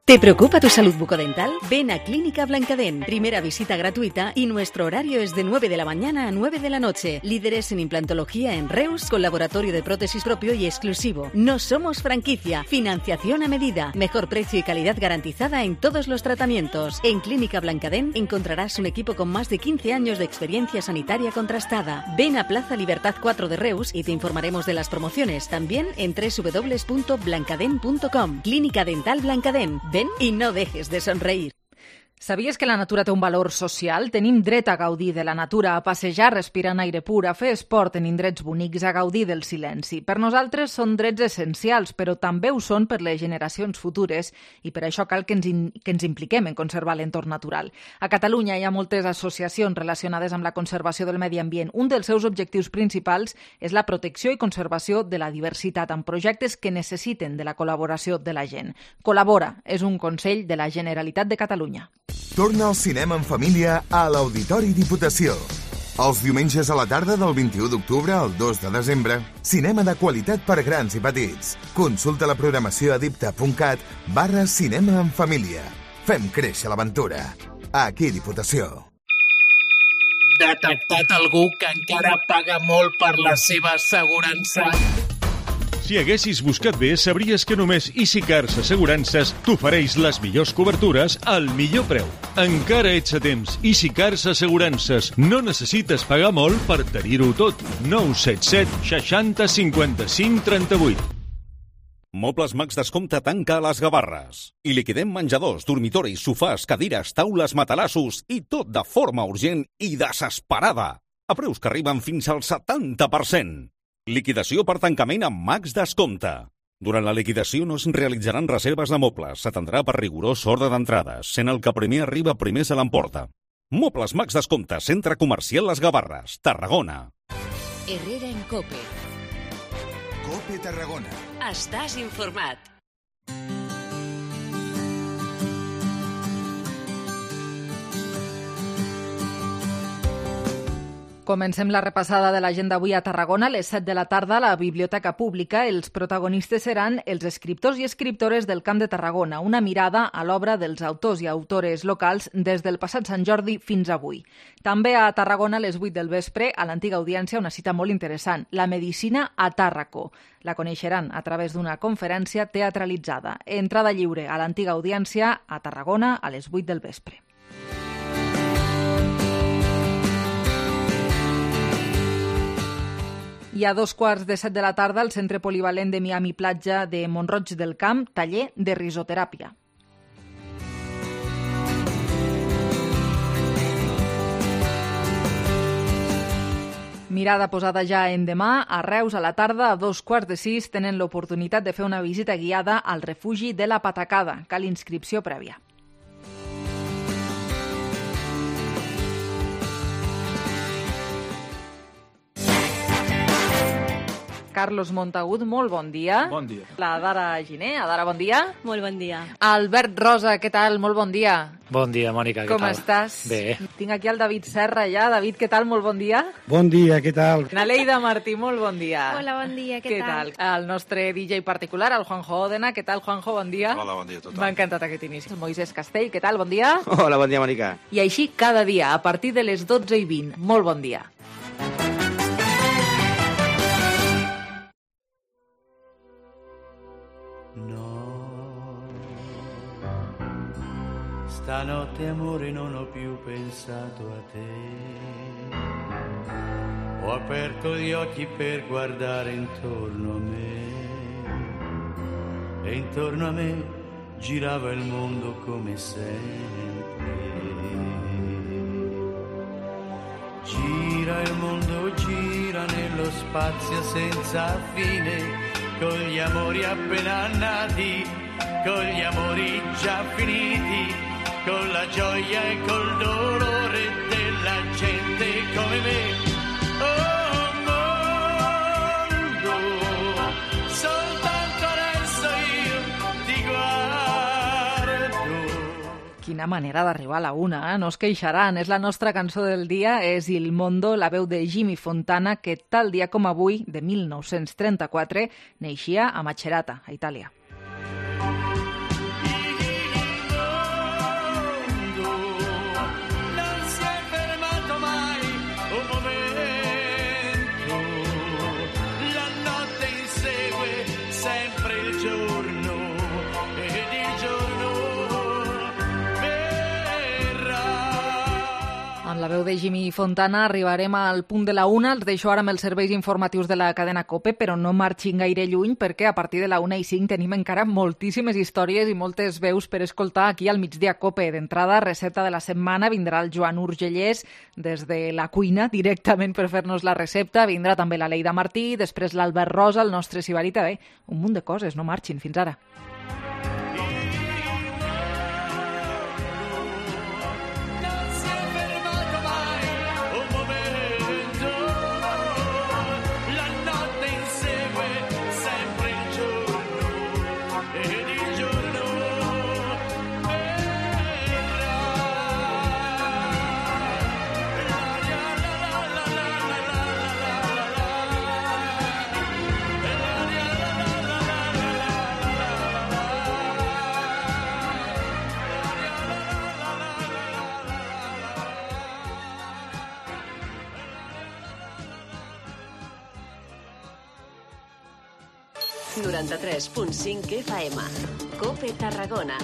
¿Te preocupa tu salud bucodental? Ven a Clínica Blancadent. Primera visita gratuita y nuestro horario es de 9 de la mañana a 9 de la noche. Líderes en implantología en Reus, con laboratorio de prótesis propio y exclusivo. No somos franquicia. Financiación a medida. Mejor precio y calidad garantizada en todos los tratamientos. En Clínica Blancadent encontrarás un equipo con más de 15 años de experiencia sanitaria contrastada. Ven a Plaza Libertad 4 de Reus y te informaremos de las promociones. También en www.blancadent.com. Clínica Dental Blancadent. Ven y no dejes de sonreír. Sabies que la natura té un valor social? Tenim dret a gaudir de la natura, a passejar respirant aire pur, a fer esport en indrets bonics, a gaudir del silenci. Per nosaltres són drets essencials, però també ho són per les generacions futures i per això cal que ens impliquem en conservar l'entorn natural. A Catalunya hi ha moltes associacions relacionades amb la conservació del medi ambient. Un dels seus objectius principals és la protecció i conservació de la diversitat amb projectes que necessiten de la col·laboració de la gent. Col·labora és un consell de la Generalitat de Catalunya. Torna al cinema en família a l'Auditori Diputació. Els diumenges a la tarda del 21 d'octubre al 2 de desembre, cinema de qualitat per grans i petits. Consulta la programació a dipta.cat/cinema en família. Fem créixer l'aventura. Aquí Diputació. Detectat algú que encara paga molt per la seva assegurança. Si haguessis buscat bé, sabries que només EasyCars Assegurances t'ofereix les millors cobertures al millor preu. Encara ets a temps. EasyCars Assegurances. No necessites pagar molt per tenir-ho tot. 977 60 55 38. Mobles Max Descompte tanca a les Gavarres. I liquidem menjadors, dormitoris, sofàs, cadires, taules, matalassos i tot de forma urgent i desesperada. A preus que arriben fins al 70%. Liquidació per tancament amb Max Descompte. Durant la liquidació no es realitzaran reserves de mobles. S'atendrà per rigorós ordre d'entrades, sent el que primer arriba primer se l'emporta. Mobles Max Descompte, Centre Comercial Les Gavarres, Tarragona. Herrera en COPE. COPE Tarragona. Estàs informat. Comencem la repassada de l'agenda avui a Tarragona. A les 7 de la tarda, a la Biblioteca Pública, els protagonistes seran els escriptors i escriptores del Camp de Tarragona, una mirada a l'obra dels autors i autores locals des del passat Sant Jordi fins avui. També a Tarragona, a les 8 del vespre, a l'antiga audiència, una cita molt interessant, la medicina a Tàrraco. La coneixeran a través d'una conferència teatralitzada. Entrada lliure a l'antiga audiència a Tarragona a les 8 del vespre. I a 2:15 de la tarda, al Centre Polivalent de Miami Platja de Mont-roig del Camp, taller de risoteràpia. Mirada posada ja en demà. A Reus, a la tarda, a 5:15, tenen l'oportunitat de fer una visita guiada al refugi de la Patacada. Cal inscripció prèvia. Carlos Montagut, molt bon dia. Bon dia. La Dara Giner. Adara, bon dia. Molt bon dia. Albert Rosa, què tal? Molt bon dia. Bon dia, Mònica, què tal? Com estàs? Bé. Tinc aquí el David Serra ja. David, què tal? Molt bon dia. Bon dia, què tal? Naleida Martí, molt bon dia. Hola, bon dia, què tal? El nostre DJ particular, el Juanjo Òdena. Què tal, Juanjo? Bon dia. Hola, bon dia a tothom. M'ha encantat aquest inici. El Moisés Castell, què tal? Bon dia. Hola, bon dia, Mònica. I així cada dia, a partir de les 12:20. Molt bon dia. Stanotte amore non ho più pensato a te, ho aperto gli occhi per guardare intorno a me e intorno a me girava il mondo come sempre. Gira il mondo, gira nello spazio senza fine, con gli amori appena nati, con gli amori già finiti, con la gioia e col dolore della gente come me. Oh mondo, soltanto adesso io ti guardo. Quina manera d'arribar a la una, eh? No es queixaran. És la nostra cançó del dia, és Il Mondo, la veu de Jimmy Fontana, que tal dia com avui, de 1934, neixia a Macerata, a Itàlia. Amb la veu de Jimmy Fontana arribarem al punt de la una. Els deixo ara amb els serveis informatius de la cadena COPE, però no marxin gaire lluny perquè a partir de la 1:05 tenim encara moltíssimes històries i moltes veus per escoltar aquí al Migdia COPE. D'entrada, recepta de la setmana, vindrà el Joan Urgellès des de la cuina directament per fer-nos la recepta. Vindrà també la Leida Martí, després l'Albert Rosa, el nostre Sibarita. Bé, un munt de coses, no marxin. Fins ara. FM. COPE Tarragona.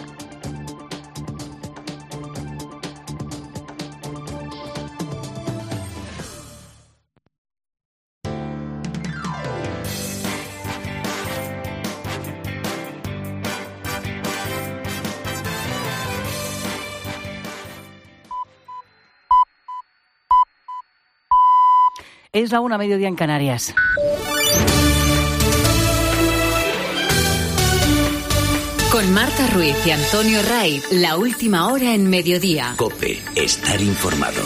Es la 1:00 mediodía en Canarias. Con Marta Ruiz y Antonio Ray, la última hora en mediodía. COPE, estar informado.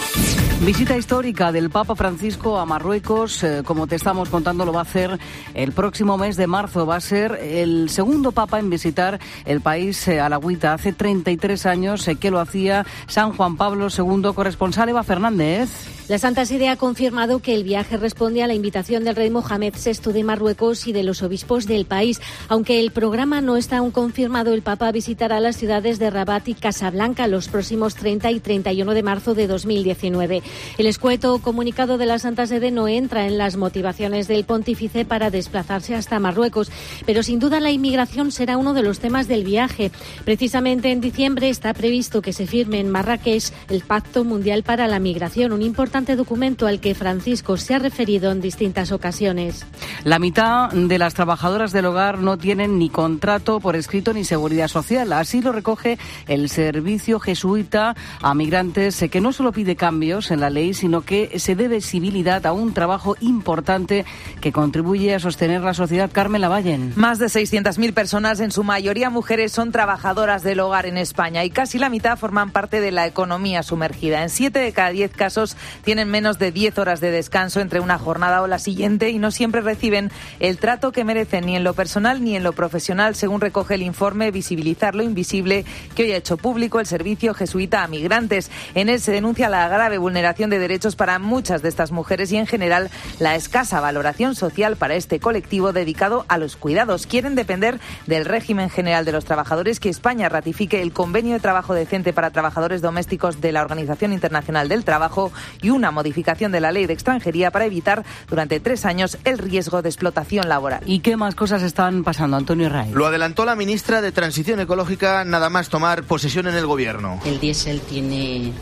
Visita histórica del Papa Francisco a Marruecos, como te estamos contando, lo va a hacer el próximo mes de marzo. Va a ser el segundo Papa en visitar el país alauita. Hace 33 años que lo hacía San Juan Pablo II. Corresponsal Eva Fernández. La Santa Sede ha confirmado que el viaje responde a la invitación del rey Mohamed VI de Marruecos y de los obispos del país. Aunque el programa no está aún confirmado, el Papa visitará las ciudades de Rabat y Casablanca los próximos 30 y 31 de marzo de 2019. El escueto comunicado de la Santa Sede no entra en las motivaciones del pontífice para desplazarse hasta Marruecos, pero sin duda la inmigración será uno de los temas del viaje. Precisamente en diciembre está previsto que se firme en Marrakech el Pacto Mundial para la Migración, un importante documento al que Francisco se ha referido en distintas ocasiones. La mitad de las trabajadoras del hogar no tienen ni contrato por escrito ni seguridad social. Así lo recoge el Servicio Jesuita a Migrantes, que no solo pide cambios en la ley, sino que se dé visibilidad a un trabajo importante que contribuye a sostener la sociedad. Carmen Lavallen. Más de 600.000 personas, en su mayoría mujeres, son trabajadoras del hogar en España y casi la mitad forman parte de la economía sumergida. En 7 de cada 10 casos tienen menos de 10 horas de descanso entre una jornada o la siguiente y no siempre reciben el trato que merecen ni en lo personal ni en lo profesional, según recoge el informe Visibilizar lo Invisible que hoy ha hecho público el Servicio Jesuita a Migrantes. En él se denuncia la grave vulneración de derechos para muchas de estas mujeres y en general la escasa valoración social para este colectivo dedicado a los cuidados. Quieren depender del régimen general de los trabajadores, que España ratifique el convenio de trabajo decente para trabajadores domésticos de la Organización Internacional del Trabajo y una modificación de la ley de extranjería para evitar durante 3 años el riesgo de explotación laboral. ¿Y qué más cosas están pasando, Antonio Herraiz? Lo adelantó la ministra de Transición Ecológica nada más tomar posesión en el gobierno. El diésel tiene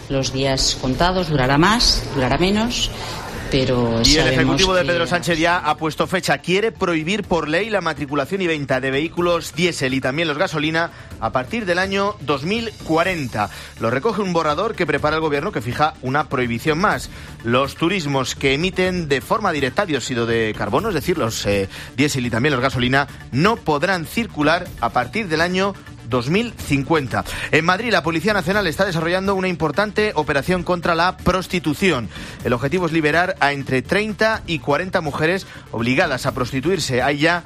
los días contados, durará más, durará menos. Pero y el Ejecutivo de Pedro Sánchez ya ha puesto fecha. Quiere prohibir por ley la matriculación y venta de vehículos diésel y también los gasolina a partir del año 2040. Lo recoge un borrador que prepara el Gobierno que fija una prohibición más. Los turismos que emiten de forma directa dióxido de carbono, es decir, los diésel y también los gasolina, no podrán circular a partir del año 2050. En Madrid, la Policía Nacional está desarrollando una importante operación contra la prostitución. El objetivo es liberar a entre 30 y 40 mujeres obligadas a prostituirse. Hay ya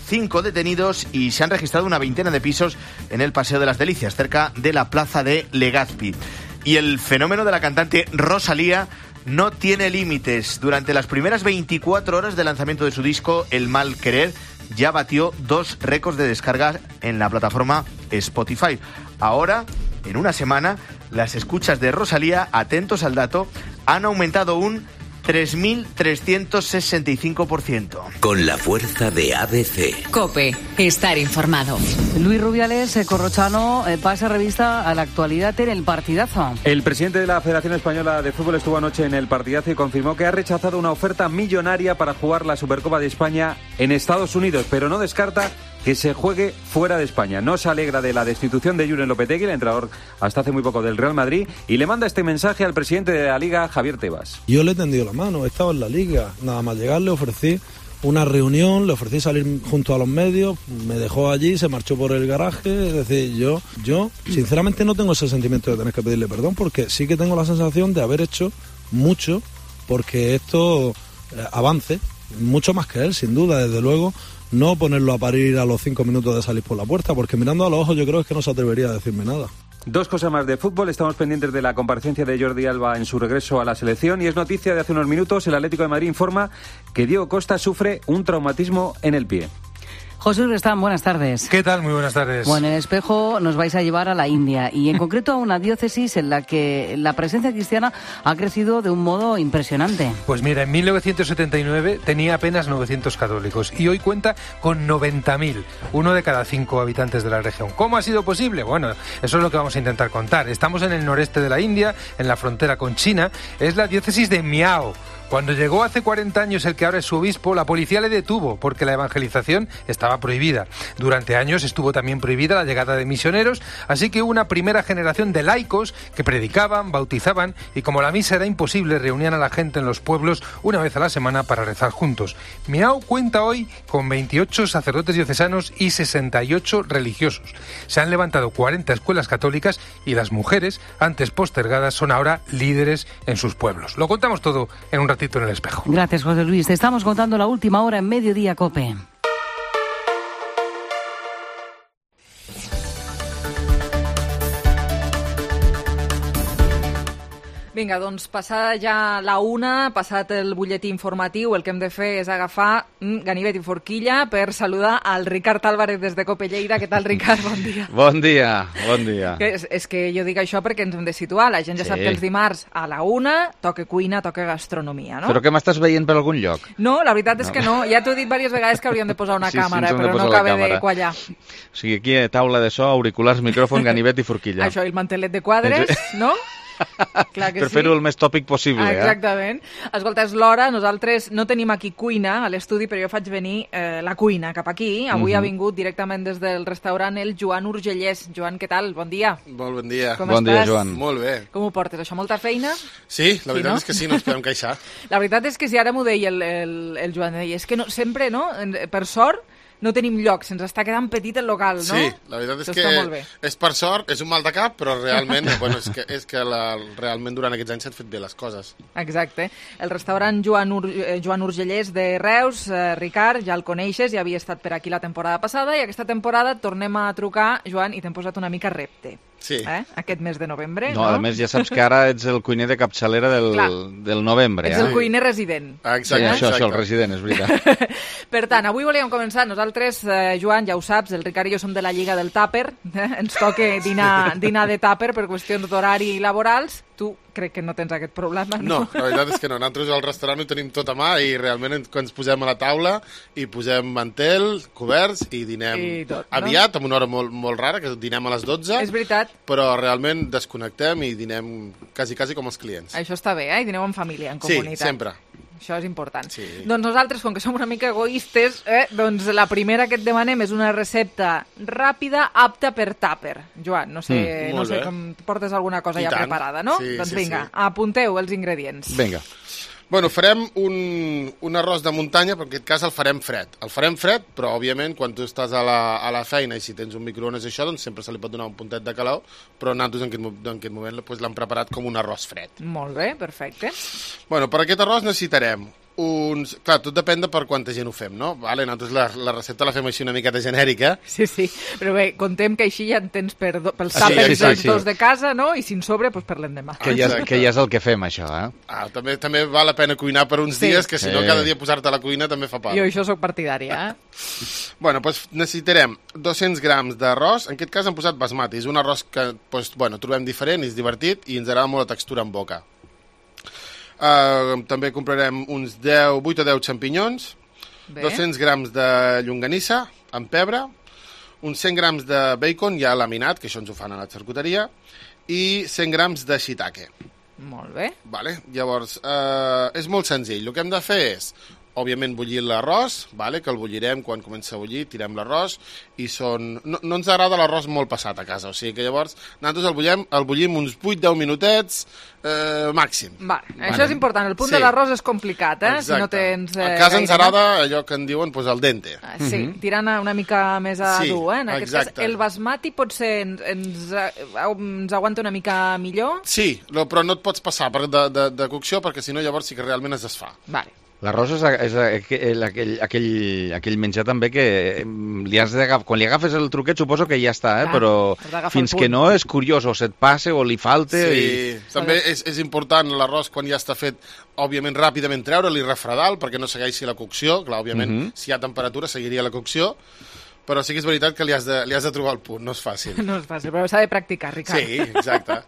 5 detenidos y se han registrado una veintena de pisos en el Paseo de las Delicias, cerca de la plaza de Legazpi. Y el fenómeno de la cantante Rosalía no tiene límites. Durante las primeras 24 horas de lanzamiento de su disco El Mal Querer, ya batió 2 récords de descarga en la plataforma Spotify. Ahora, en una semana, las escuchas de Rosalía, atentos al dato, han aumentado un 3.365%. Con la fuerza de ABC. COPE. Estar informado. Luis Rubiales Corrochano pasa revista a la actualidad en el partidazo. El presidente de la Federación Española de Fútbol estuvo anoche en el partidazo y confirmó que ha rechazado una oferta millonaria para jugar la Supercopa de España en Estados Unidos, pero no descarta que se juegue fuera de España. No se alegra de la destitución de Julen Lopetegui, el entrenador hasta hace muy poco del Real Madrid, y le manda este mensaje al presidente de la Liga, Javier Tebas. Yo le he tendido la mano, he estado en la Liga, nada más llegar le ofrecí una reunión, le ofrecí salir junto a los medios, me dejó allí, se marchó por el garaje. Es decir, yo sinceramente no tengo ese sentimiento de tener que pedirle perdón, porque sí que tengo la sensación de haber hecho mucho porque esto avance, mucho más que él, sin duda, desde luego. No ponerlo a parir a los 5 minutos de salir por la puerta, porque mirando a los ojos yo creo que no se atrevería a decirme nada. 2 cosas más de fútbol. Estamos pendientes de la comparecencia de Jordi Alba en su regreso a la selección y es noticia de hace unos minutos. El Atlético de Madrid informa que Diego Costa sufre un traumatismo en el pie. José Restán, buenas tardes. ¿Qué tal? Muy buenas tardes. Bueno, en el Espejo nos vais a llevar a la India y en concreto a una diócesis en la que la presencia cristiana ha crecido de un modo impresionante. Pues mira, en 1979 tenía apenas 900 católicos y hoy cuenta con 90.000, 1 de cada 5 habitantes de la región. ¿Cómo ha sido posible? Bueno, eso es lo que vamos a intentar contar. Estamos en el noreste de la India, en la frontera con China. Es la diócesis de Miao. Cuando llegó hace 40 años el que ahora es su obispo, la policía le detuvo porque la evangelización estaba prohibida. Durante años estuvo también prohibida la llegada de misioneros, así que hubo una primera generación de laicos que predicaban, bautizaban y como la misa era imposible, reunían a la gente en los pueblos una vez a la semana para rezar juntos. Miao cuenta hoy con 28 sacerdotes diocesanos y 68 religiosos. Se han levantado 40 escuelas católicas y las mujeres, antes postergadas, son ahora líderes en sus pueblos. Lo contamos todo en un ratito en el Espejo. Gracias, José Luis. Te estamos contando la última hora en Mediodía COPE. Vinga, doncs passada ja la 1, passat el butlletí informatiu, el que hem de fer és agafar ganivet i forquilla per saludar al Ricard Álvarez des de Cope Lleida. Què tal, Ricard? Bon dia. Bon dia, bon dia. És que jo dic això perquè ens hem de situar. La gent ja sap que els dimarts a la 1 toca cuina, toca gastronomia, no? Però que m'estàs veient per algun lloc? No, la veritat és que no. Ja t'ho he dit diverses vegades que hauríem de posar una càmera, però no acaba de quallar. O sigui, aquí taula de so, auriculars, micròfon, ganivet i forquilla. Això, i el mantelet de quadres, no? Clar que per fer-ho el més tòpic possible. Exactament. Escolta, és l'hora, nosaltres no tenim aquí cuina a l'estudi, però jo faig venir la cuina cap aquí. Avui ha vingut directament des del restaurant el Joan Urgellès. Joan, què tal? Bon dia. Molt bon dia. Com estàs? Dia, Joan. Molt bé. Com ho portes? Això molta feina? Sí, la veritat és que sí, no ens podem queixar. La veritat és que si ara m'ho deia el Joan, deia, és que no, sempre, no? Per sort, no tenim lloc, se'ns està quedant petit el local, no? Sí, la veritat és que és per sort, és un mal de cap, però realment, bueno, és que realment durant aquests anys s'han fet bé les coses. Exacte. El restaurant Joan Urgellès de Reus, Ricard, ja el coneixes, ja havia estat per aquí la temporada passada, i aquesta temporada tornem a trucar, Joan, i t'hem posat una mica repte. Sí. Aquest mes de novembre, no? A més, ja saps que ara ets el cuiner de capçalera del novembre. Ets el cuiner resident. Exacte. Sí, això, el resident, és veritat. Per tant, avui volíem començar. Nosaltres, Joan, ja ho saps, el Ricard i jo som de la Lliga del Tàper. Ens toca dinar de tàper per qüestions d'horari i laborals. Tu crec que no tens aquest problema, no? No, la veritat és que no. Nosaltres al restaurant ho tenim tot a mà i realment quan ens posem a la taula i posem mantel, coberts i dinem aviat, amb una hora molt rara, que dinem a les 12. És veritat. Però realment desconnectem i dinem quasi com els clients. Això està bé, I dineu en família, en comunitat. Sí, sempre. Això és important. Sí. Doncs nosaltres, com que som una mica egoistes, doncs la primera que et demanem és una recepta ràpida, apta per tàper. Joan, no sé com portes alguna cosa ja preparada, no? Sí, doncs vinga, apunteu els ingredients. Vinga. Bueno, farem un arròs de muntanya, però en aquest cas el farem fred. El farem fred, però òbviament quan tu estàs a la feina i si tens un microones i això, doncs sempre se li pot donar un puntet de calor, però nosaltres en aquest moment l'hem preparat com un arròs fred. Molt bé, perfecte. Bueno, per aquest arròs necessitarem clar, tot depèn de per quanta gent ho fem, no? Vale, nosaltres la recepta la fem així una miqueta genèrica. Sí, però bé, contem que així ja en tens pels tàpers dels dos de casa, no? I si en sobre, doncs per l'endemà. Que ja és el que fem, això, També val la pena cuinar per uns dies, que si no cada dia posar-te a la cuina també fa part. Jo això soc partidària, Bueno, doncs necessitarem 200 grams d'arròs, en aquest cas hem posat basmati, és un arròs que trobem diferent, és divertit i ens agrada molt la textura en boca. També comprarem uns 8 o 10 xampinyons, 200 grams de llonganissa amb pebre, uns 100 grams de bacon ja laminat, que això ens ho fan a la xarcuteria, i 100 grams de shiitake. Molt bé. Vale. Llavors, és molt senzill. El que hem de fer és, òbviament, bullir l'arròs, que el bullirem quan comença a bullir, tirem l'arròs, i no ens agrada l'arròs molt passat a casa, o sigui que llavors nosaltres el bullim uns 8-10 minutets màxim. Això és important, el punt de l'arròs és complicat, Exacte. Si no tens... A casa ens agrada allò que en diuen al dente. Sí, tirant una mica més a dur, en aquest cas, el basmati potser ens aguanta una mica millor? Sí, però no et pots passar de cocció perquè si no llavors sí que realment es desfà. Vale. L'arròs és aquell menjar també que quan li agafes el truquet suposo que ja està, però fins que no és curiós o se't passa o li falta... Sí, també és important l'arròs quan ja està fet, òbviament ràpidament treure-li, refredar-lo perquè no segueixi la cocció, clar, òbviament si hi ha temperatura seguiria la cocció, però sí que és veritat que li has de trobar el punt, no és fàcil. No és fàcil, però s'ha de practicar, Ricard. Sí, exacte.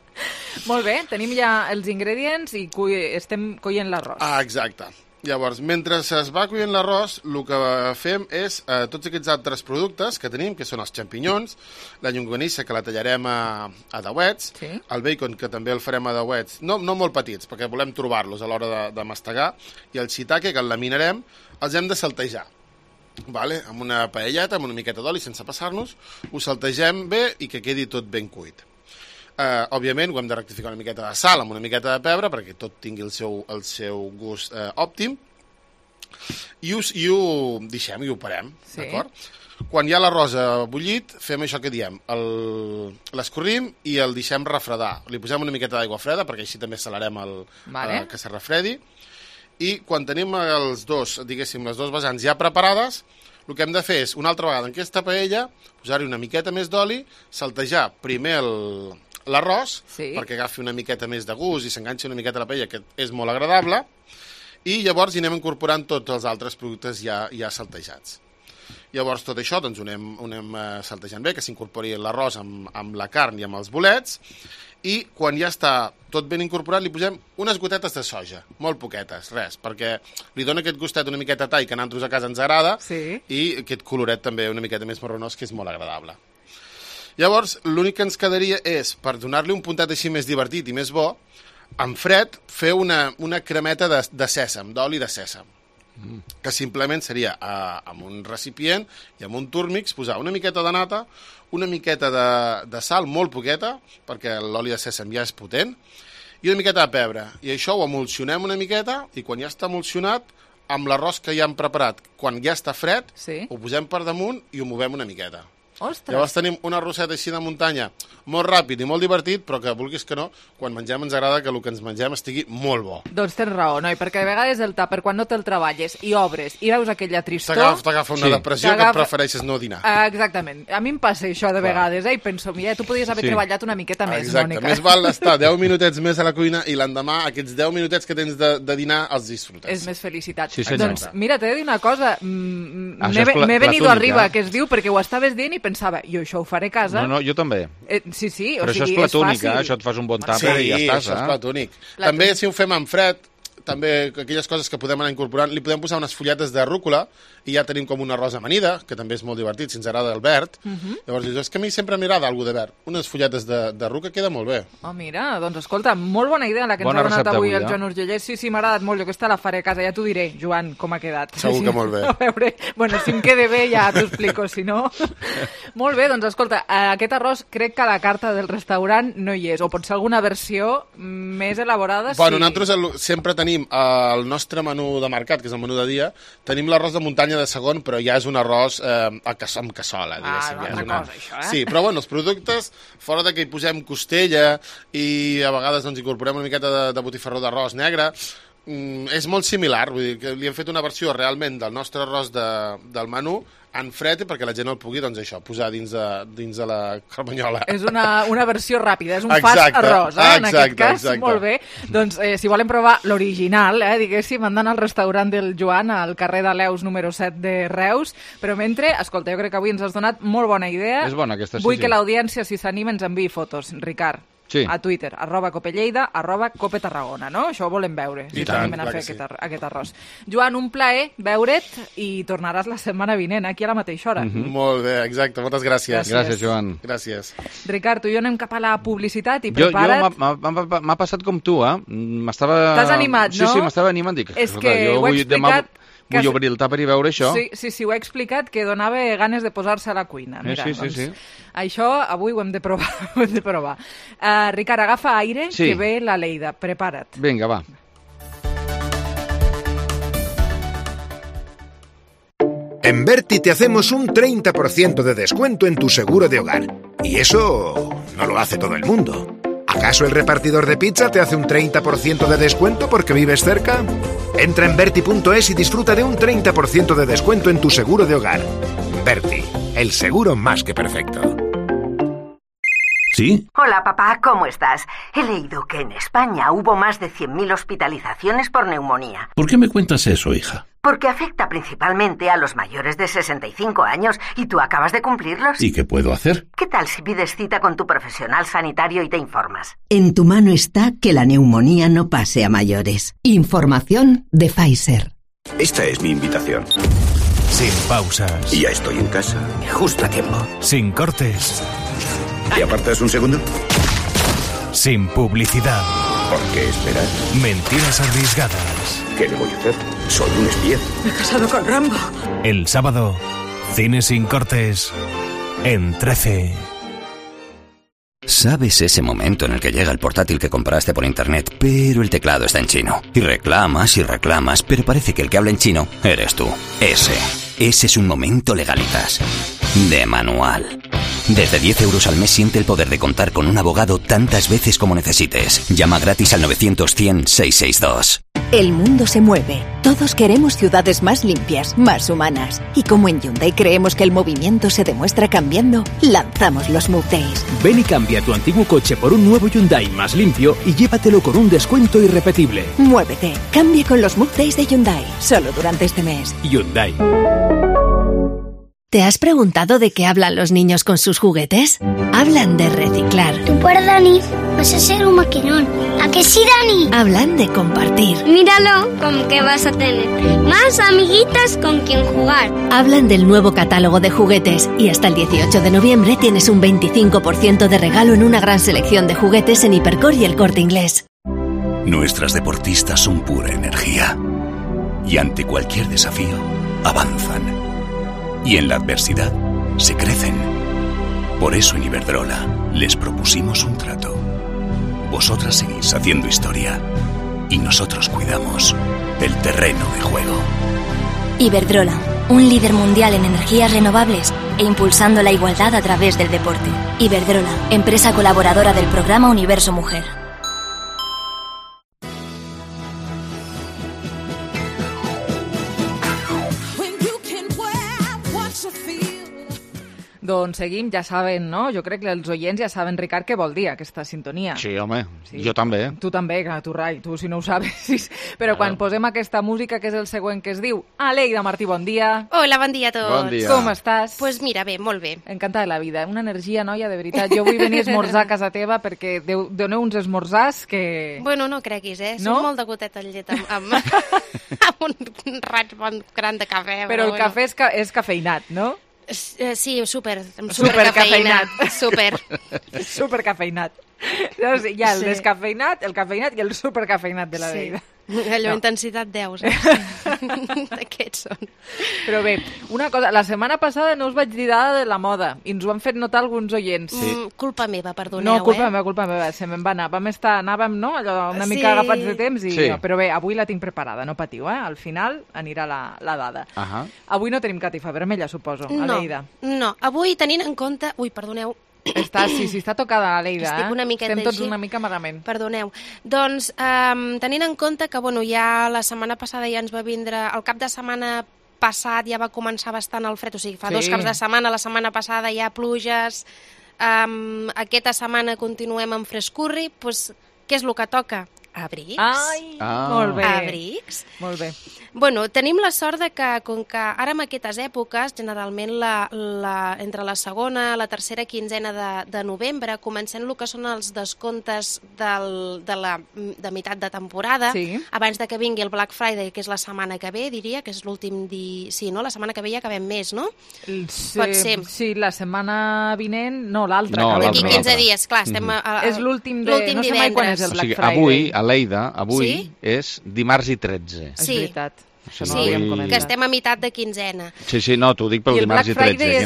Molt bé, tenim ja els ingredients i estem coient l'arròs. Exacte. Llavors, mentre es va coient l'arròs, el que fem és tots aquests altres productes que tenim, que són els xampinyons, la llonganissa, que la tallarem a dauets, el bacon, que també el farem a dauets, no molt petits, perquè volem trobar-los a l'hora de mastegar, i el shiitake, que el laminarem, els hem de saltejar. Amb una paelleta, amb una miqueta d'oli, sense passar-nos, ho saltegem bé i que quedi tot ben cuit. Òbviament ho hem de rectificar una miqueta de sal amb una miqueta de pebre perquè tot tingui el seu gust òptim i ho deixem i ho parem, d'acord? Quan hi ha l'arròs bullit fem això que diem, l'escorrim i el deixem refredar, li posem una miqueta d'aigua freda perquè així també salarem que se refredi i quan tenim les dues vessants ja preparades, el que hem de fer és una altra vegada en aquesta paella posar-hi una miqueta més d'oli, saltejar primer l'arròs, perquè agafi una miqueta més de gust i s'enganxi una miqueta a la paella, que és molt agradable, i llavors hi anem incorporant tots els altres productes ja saltejats. Llavors tot això doncs, ho anem saltejant bé, que s'incorpori l'arròs amb la carn i amb els bolets, i quan ja està tot ben incorporat li posem unes gotetes de soja, molt poquetes, res, perquè li dona aquest gustet una miqueta tall que a nosaltres a casa ens agrada, i aquest coloret també una miqueta més marronós, que és molt agradable. Llavors, l'únic que ens quedaria és, per donar-li un puntet així més divertit i més bo, en fred, fer una cremeta de sèsam, d'oli de sèsam, que simplement seria amb un recipient i amb un túrmix posar una miqueta de nata, una miqueta de sal, molt poqueta, perquè l'oli de sèsam ja és potent, i una miqueta de pebre. I això ho emulsionem una miqueta, i quan ja està emulsionat, amb l'arròs que ja hem preparat, quan ja està fred, ho posem per damunt i ho movem una miqueta. Ostres. Llavors tenim una arrosset així de muntanya, molt ràpid i molt divertit, però que vulguis que no, quan mengem ens agrada que el que ens mengem estigui molt bo. Doncs tens raó, noi, perquè a vegades el tàper, quan no te'l treballes i obres i veus aquella tristor... T'agafa una depressió que prefereixes no dinar. Exactament. A mi em passa això de vegades, i penso, mira, tu podries haver treballat una miqueta més, Mònica. Exacte, més val estar 10 minutets més a la cuina i l'endemà aquests 10 minutets que tens de dinar els disfrutes. És més felicitat. Sí, doncs mira, t'he de dir una cosa, m'he venido arriba, que es diu, perquè ho estaves dient i pensava, jo això ho faré a casa. No, jo també. Sí, però això és platònic, això et fas un bon tàper i ja estàs. Sí, això és platònic. També si ho fem en fred, també aquelles coses que podem anar incorporant, li podem posar unes fulletes de rúcula i ja tenim com una rosa amanida, que també és molt divertit, si ens agrada el verd. Llavors dius, és que a mi sempre m'agrada alguna de verd. Unes fulletes de rúcula queda molt bé. Oh, mira, doncs escolta, molt bona idea la que ens ha donat avui el Joan Urgellès. Sí, m'ha agradat molt, jo aquesta la faré a casa, ja t'ho diré, Joan, com ha quedat. Segur que molt bé. A veure, bueno, si em quede bé ja t'ho explico, si no... Molt bé, doncs escolta, aquest arròs crec que a la carta del restaurant no hi és, o pot ser alguna versió més elaborada. Bueno, nosaltres sempre tenim el nostre menú de mercat, que és el menú de dia, tenim l'arròs de muntanya de segon, però ja és un arròs amb cassola, diguéssim. Cosa, això, Sí, però bueno, els productes, fora de que hi posem costella i a vegades doncs, incorporem una miqueta de botifarró d'arròs negre, és molt similar, vull dir que li hem fet una versió realment del nostre arròs del menú en fred perquè la gent el pugui, doncs això, posar dins de la carmanyola. És una versió ràpida, és un fast arròs, en aquest cas. Molt bé. Doncs si volen provar l'original, diguéssim, andan al restaurant del Joan, al carrer de Leus número 7 de Reus, però mentre, escolta, jo crec que avui ens has donat molt bona idea. És bona aquesta, Vull que l'audiència, si s'anima, ens enviï fotos. Ricard. Sí. A Twitter, @copelleida, @copetarragona, no? Això ho volem veure, si t'animen a fer aquest arròs. Joan, un plaer veure't i tornaràs la setmana vinent, aquí a la mateixa hora. Molt bé, exacte, moltes gràcies. Gràcies, Joan. Gràcies. Ricard, tu i jo anem cap a la publicitat i prepara't. M'ha passat com tu, T'has animat, no? Sí, m'estava animant. Dic, és que ho he explicat... Vull obrir el tàper i veure això. Sí, ho he explicat, que donava ganes de posar-se a la cuina. Mira, sí. Això avui ho hem de provar. Ricard, agafa aire, que ve la Leida. Prepara't. Vinga, va. En Berti te hacemos un 30% de descuento en tu seguro de hogar. Y eso no lo hace todo el mundo. ¿Acaso el repartidor de pizza te hace un 30% de descuento porque vives cerca? Entra en Berti.es y disfruta de un 30% de descuento en tu seguro de hogar. Berti, el seguro más que perfecto. ¿Sí? Hola, papá, ¿cómo estás? He leído que en España hubo más de 100.000 hospitalizaciones por neumonía. ¿Por qué me cuentas eso, hija? Porque afecta principalmente a los mayores de 65 años y tú acabas de cumplirlos. ¿Y qué puedo hacer? ¿Qué tal si pides cita con tu profesional sanitario y te informas? En tu mano está que la neumonía no pase a mayores. Información de Pfizer. Esta es mi invitación. Sin pausas. Y ya estoy en casa, justo a tiempo. Sin cortes. ¿Te apartas un segundo? Sin publicidad. ¿Por qué esperar? Mentiras arriesgadas. ¿Qué le voy a hacer? Soy un espía. Me he casado con Rambo. El sábado, Cine sin cortes en 13. ¿Sabes ese momento en el que llega el portátil que compraste por internet, pero el teclado está en chino? Y reclamas, pero parece que el que habla en chino eres tú. Ese es un momento Legalitas. De manual. Desde 10 euros al mes siente el poder de contar con un abogado tantas veces como necesites. Llama gratis al 900 100 662. El mundo se mueve. Todos queremos ciudades más limpias, más humanas. Y como en Hyundai creemos que el movimiento se demuestra cambiando, lanzamos los Move Days. Ven y cambia tu antiguo coche por un nuevo Hyundai más limpio y llévatelo con un descuento irrepetible. Muévete. Cambia con los Move Days de Hyundai. Solo durante este mes. Hyundai. ¿Te has preguntado de qué hablan los niños con sus juguetes? Hablan de reciclar. Tú por Dani vas a ser un maquinón. ¿A que sí, Dani? Hablan de compartir. Míralo, con que vas a tener más amiguitas con quien jugar. Hablan del nuevo catálogo de juguetes y hasta el 18 de noviembre tienes un 25% de regalo en una gran selección de juguetes en Hipercor y El Corte Inglés. Nuestras deportistas son pura energía y ante cualquier desafío avanzan. Y en la adversidad se crecen. Por eso en Iberdrola les propusimos un trato. Vosotras seguís haciendo historia y nosotros cuidamos del terreno de juego. Iberdrola, un líder mundial en energías renovables e impulsando la igualdad a través del deporte. Iberdrola, empresa colaboradora del programa Universo Mujer. Doncs seguim, ja saben, no? Jo crec que els oients ja saben, Ricard, què vol dir aquesta sintonia. Sí, home, sí. Jo també. Tu també, tu, Rai, tu si no ho sabes. Però quan posem aquesta música, que és el següent que es diu Aleida Martí, bon dia. Hola, bon dia a tots. Bon dia. Com estàs? Pues mira, bé, molt bé. Encantada de la vida, una energia, noia, de veritat. Jo vull venir a esmorzar a casa teva perquè doneu uns esmorzars que... Bueno, no creguis, No? Soc molt de gotet al llet amb un raig bon gran de cafè. Però el cafè és cafeïnat, no? Sí, supercafeïnat. Supercafeïnat. Hi ha el descafeïnat, el cafeïnat i el supercafeïnat de la vida. Allò, intensitat 10, D'aquests són. Però bé, una cosa, la setmana passada no us vaig dir dada de la moda i ens ho han fet notar alguns oients. Culpa meva, perdoneu, No, culpa meva, se me'n va anar. Anàvem, no?, allò, una mica agafats de temps i... Sí. Però bé, avui la tinc preparada, no patiu, Al final anirà la dada. Avui no tenim catifa vermella, suposo, Aleida. No, avui tenint en compte... Ui, perdoneu, està tocada, Aleida. Estic una miqueta Estem tots així. una mica malament. Perdoneu. Doncs, tenint en compte que, ja la setmana passada ja ens va vindre... El cap de setmana passat ja va començar bastant el fred, o sigui, fa 2 caps de setmana, la setmana passada hi ha pluges, aquesta setmana continuem amb frescurri, doncs què és el que toca? Abrics. Molt bé. Abrics. Molt bé. Bueno, tenim la sort de que, com que ara en aquestes èpoques, generalment entre la segona i la tercera quinzena de novembre, comencem el que són els descomptes de meitat de temporada, abans de que vingui el Black Friday, que és la setmana que ve, diria, que és l'últim Sí, no? La setmana que ve ja acabem mes, no? Pot ser. Sí, la setmana vinent... No, l'altra. No, d'aquí 15 dies, clar, estem... És l'últim de... No sé mai quan és el Black Friday. Avui, Aleida, és dimarts i 13. És veritat. Sí, que estem a meitat de quinzena. Sí, no, t'ho dic pel dimarts i 13.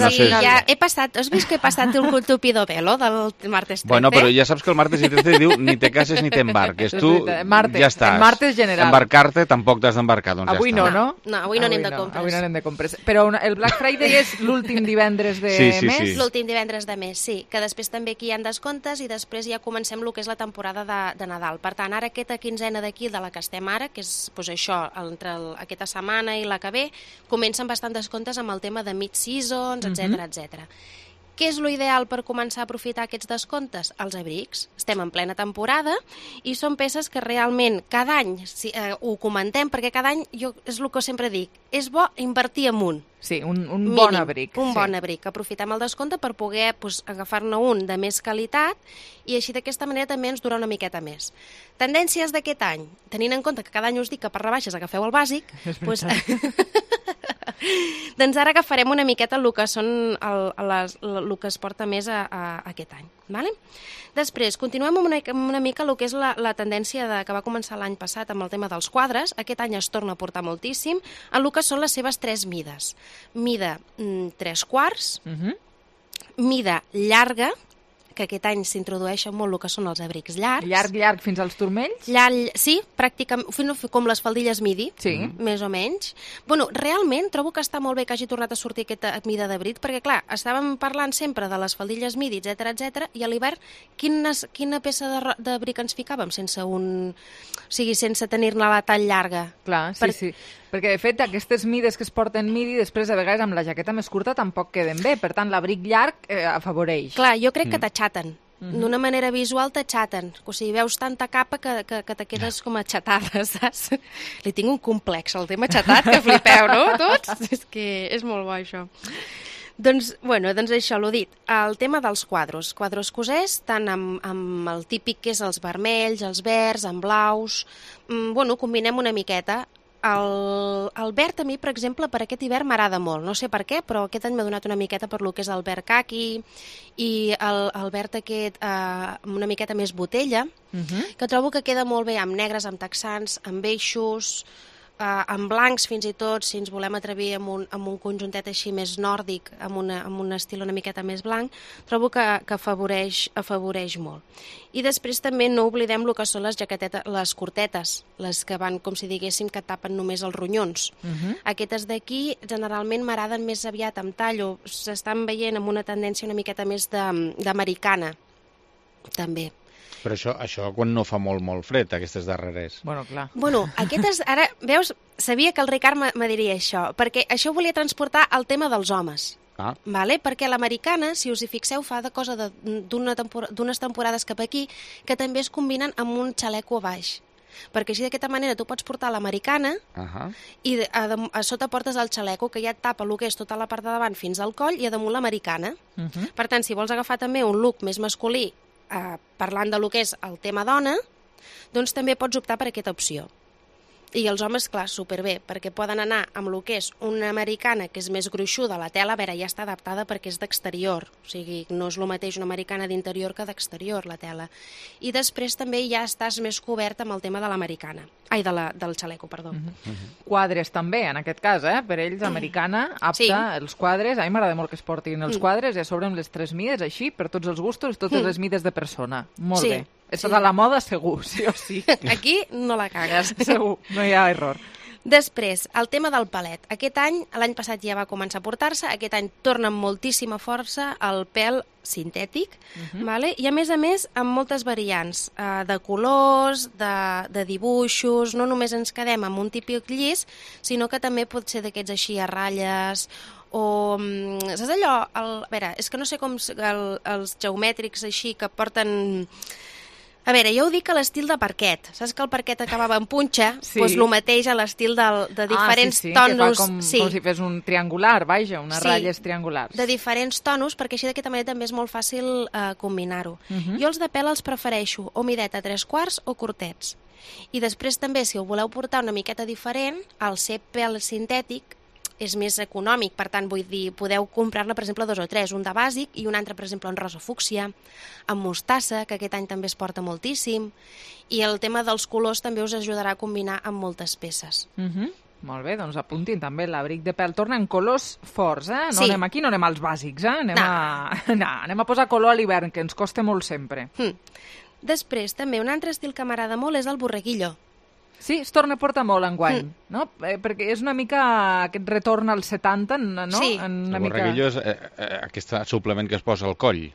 Has vist que he passat el tupido velo del martes 13? Bueno, però ja saps que el martes i 13 diu ni te cases ni t'embarques. Tu ja estàs. Martes general. Embarcar-te tampoc t'has d'embarcar, doncs avui ja està. No, avui no anem de compres. Avui no anem de compres. Però el Black Friday és l'últim divendres de mes? L'últim divendres de mes, sí. Que després també aquí hi ha descomptes i després ja comencem el que és la temporada de Nadal. Per tant, ara aquesta quinzena d'aquí, de la que estem ara, que és això, entre aquesta setmana i la que ve, comencen bastant descomptes amb el tema de mid-seasons, etc. Què és l'ideal per començar a aprofitar aquests descomptes? Els abrics. Estem en plena temporada i són peces que realment cada any ho comentem, perquè cada any és el que sempre dic, és bo invertir en un. Sí, un bon abric. Un bon abric. Aprofitem el descompte per poder agafar-ne un de més qualitat i així d'aquesta manera també ens dura una miqueta més. Tendències d'aquest any. Tenint en compte que cada any us dic que per rebaixes agafeu el bàsic, doncs ara agafarem una miqueta el que són el que es porta més a aquest any. Vale? Després, continuem amb una mica el que és la tendència que va començar l'any passat amb el tema dels quadres. Aquest any es torna a portar moltíssim en el que són les seves 3 mides. Mida 3/4, mida llarga, que aquest any s'introdueixen molt el que són els abrics llargs. Llarg fins als turmells? Sí, pràcticament, com les faldilles midi, més o menys. Bueno, realment trobo que està molt bé que hagi tornat a sortir aquesta mida d'abric, perquè clar, estàvem parlant sempre de les faldilles midi, etc, i a l'hivern quina peça d'abric ens ficàvem sense tenir-ne la tan llarga? Clar, sí. Perquè, de fet, aquestes mides que es porten midi, després, a vegades, amb la jaqueta més curta tampoc queden bé. Per tant, l'abric llarg afavoreix. Clar, jo crec que t'aixaten. D'una manera visual t'aixaten. O sigui, veus tanta capa que te quedes com aixatada, saps? Li tinc un complex al tema aixatat, que flipeu, no? Tots? És que és molt bo, això. Doncs això, l'ho dit. El tema dels quadros cosers, tant amb el típic que és els vermells, els verds, amb blaus. Combinem una miqueta. El verd a mi, per exemple, per aquest hivern m'agrada molt. No sé per què, però aquest any m'ha donat una miqueta per lo que és el verd caqui i el verd aquest una miqueta més botella, que trobo que queda molt bé amb negres, amb texans, amb eixos, amb blancs fins i tot, si ens volem atrevir amb un conjuntet així més nòrdic, amb un estil una miqueta més blanc, trobo que afavoreix molt. I després també no oblidem el que són les curtetes, les que van, com si diguéssim, que tapen només els ronyons. Aquestes d'aquí generalment m'agraden més aviat amb tallo, s'estan veient amb una tendència una miqueta més d'americana, també. Però això quan no fa molt fred, aquestes darreres. Clar. Aquestes, ara, veus, sabia que el Ricard me diria això, perquè això volia transportar al tema dels homes. Vale? Perquè l'americana, si us hi fixeu, fa de cosa d'unes temporades cap aquí, que també es combinen amb un xaleco a baix. Perquè així d'aquesta manera tu pots portar l'americana i a sota portes el xaleco, que ja et tapa el que és tota la part de davant fins al coll, i a damunt l'americana. Per tant, si vols agafar també un look més masculí, parlant de lo que és el tema dona, doncs també pots optar per aquesta opció. I els homes, clar, superbé, perquè poden anar amb el que és una americana que és més gruixuda, la tela, a veure, ja està adaptada perquè és d'exterior, o sigui, no és el mateix una americana d'interior que d'exterior, la tela. I després també ja estàs més cobert amb el tema de l'americana, del xaleco, perdó. Quadres també, en aquest cas, per ells, americana, apta, els quadres, a mi m'agrada molt que es portin els quadres, i a sobre amb les 3 mides, així, per tots els gustos, totes les mides de persona. Molt bé. Això de la moda, segur, sí o sí. Aquí no la cagues. Segur, no hi ha error. Després, el tema del palet. Aquest any, l'any passat ja va començar a portar-se, aquest any torna amb moltíssima força el pèl sintètic, i a més, amb moltes variants de colors, de dibuixos, no només ens quedem amb un típic llis, sinó que també pot ser d'aquests així a ratlles, o, saps allò? A veure, és que no sé com els geomètrics així que porten... A veure, jo ho dic a l'estil de parquet. Saps que el parquet acabava en punxa? Doncs el mateix a l'estil de diferents tonos. Com si fes un triangular, vaja, unes ratlles triangulars. De diferents tonos, perquè així d'aquesta manera també és molt fàcil combinar-ho. Jo els de pèl els prefereixo o mideta 3/4 o curtets. I després també, si ho voleu portar una miqueta diferent, el ser pèl sintètic és més econòmic, per tant, vull dir, podeu comprar-ne, per exemple, 2 o 3, un de bàsic i un altre, per exemple, en rosa fúcsia, amb mostassa, que aquest any també es porta moltíssim, i el tema dels colors també us ajudarà a combinar amb moltes peces. Molt bé, doncs apuntin també l'abric de pèl. Torna en colors forts, No anem aquí, no anem als bàsics, Anem a posar color a l'hivern, que ens costa molt sempre. Després, també, un altre estil que m'agrada molt és el borreguillo. Sí, es torna a portar molt enguany, no? Perquè és una mica aquest retorn als 70, no? Sí. El borreguillo és aquest suplement que es posa al coll.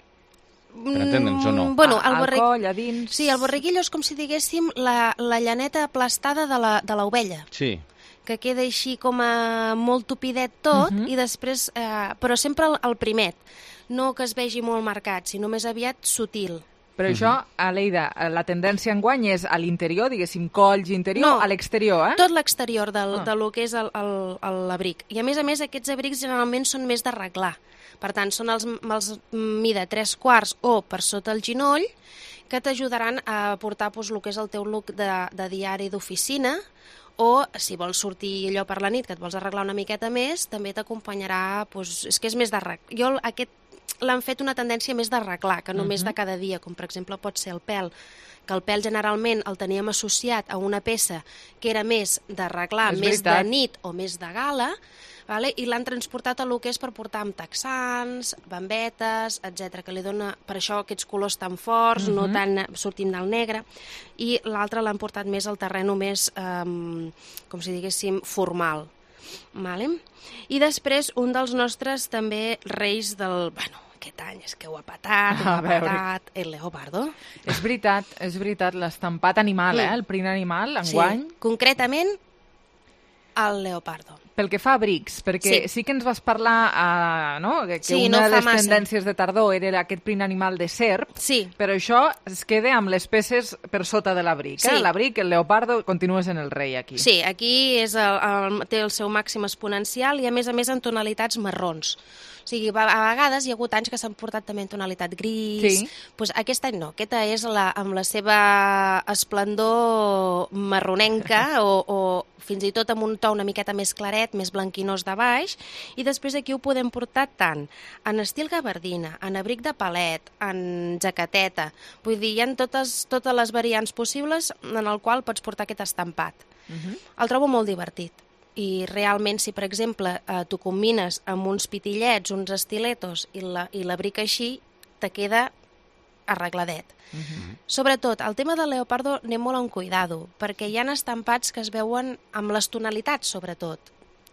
Per entendre'ns o no? Al coll, a dins... Sí, el borreguillo és com si diguéssim la llaneta aplastada de l'ovella. Sí. Que queda així com molt tupidet tot, i després... però sempre el primet. No que es vegi molt marcat, sinó més aviat sutil. Però això, Aleida, la tendència enguany és a l'interior, diguéssim, colls interior, a l'exterior, tot l'exterior de lo que és l'abric. I a més, aquests abrics generalment són més d'arreglar. Per tant, són els mida 3/4 o per sota el ginoll, que t'ajudaran a portar el que és el teu look de diari d'oficina, o si vols sortir allò per la nit, que et vols arreglar una miqueta més, també t'acompanyarà, és que és més d'arreglar. Jo l'han fet una tendència més d'arreglar, que només de cada dia, com per exemple pot ser el pèl, que el pèl generalment el teníem associat a una peça que era més d'arreglar, més de nit o més de gala. vale? I l'han transportat a lo que és per portar amb texans, bambetes, etc, que li dona per això aquests colors tan forts, no tan sortint del negre, i l'altre l'han portat més al terreno més, com si diguéssim, formal. Vale? I després un dels nostres també reis del... Bueno, aquest any és que ho ha patat, el leopardo. És veritat, l'estampat animal, el print animal, enguany. Sí, concretament el leopardo. Pel que fa a abrics, perquè sí que ens vas parlar que una de les tendències de tardor era aquest print animal de serp, però això es queda amb les peces per sota de l'abric. L'abric, el leopardo, continua sent el rei aquí. Sí, aquí té el seu màxim exponencial i a més en tonalitats marrons. O sigui, a vegades hi ha hagut anys que s'han portat també en tonalitat gris. Doncs aquest any no, aquesta és amb la seva esplendor marronenca o fins i tot amb un to una miqueta més claret, més blanquinós de baix, i després aquí ho podem portar tant en estil gabardina, en abric de palet, en jaqueteta. Vull dir, hi ha totes les variants possibles en el qual pots portar aquest estampat. El trobo molt divertit. I realment, si per exemple tu combines amb uns pitillets, uns estiletos i l'abric així, te queda arregladet. Sobretot, el tema del leopardo anem molt amb cuidado, perquè hi ha estampats que es veuen amb les tonalitats, sobretot.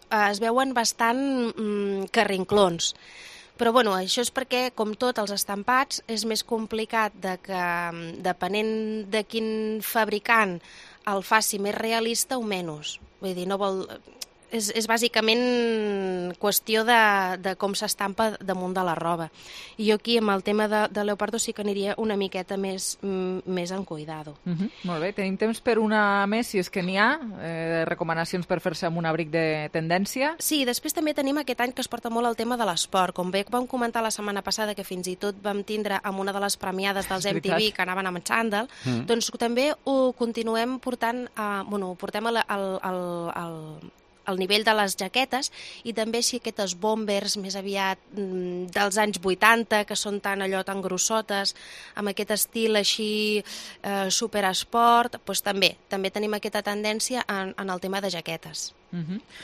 Es veuen bastant carrinclons. Però bueno, això és perquè, com tot, els estampats és més complicat que, depenent de quin fabricant el faci més realista o menys. Vull dir, no vol... És bàsicament qüestió de com s'estampa damunt de la roba. I jo aquí, amb el tema de leopardo, sí que aniria una miqueta més en cuidado. Molt bé, tenim temps per una més, si és que n'hi ha, recomanacions per fer-se amb un abric de tendència? Sí, després també tenim aquest any que es porta molt el tema de l'esport. Com bé vam comentar la setmana passada, que fins i tot vam tindre amb una de les premiades dels MTV que anaven amb xandall, doncs també ho continuem portant, ho portem al nivell de les jaquetes, i també si aquestes bombers més aviat dels anys 80, que són tan grossotes, amb aquest estil així superesport, doncs també tenim aquesta tendència en el tema de jaquetes.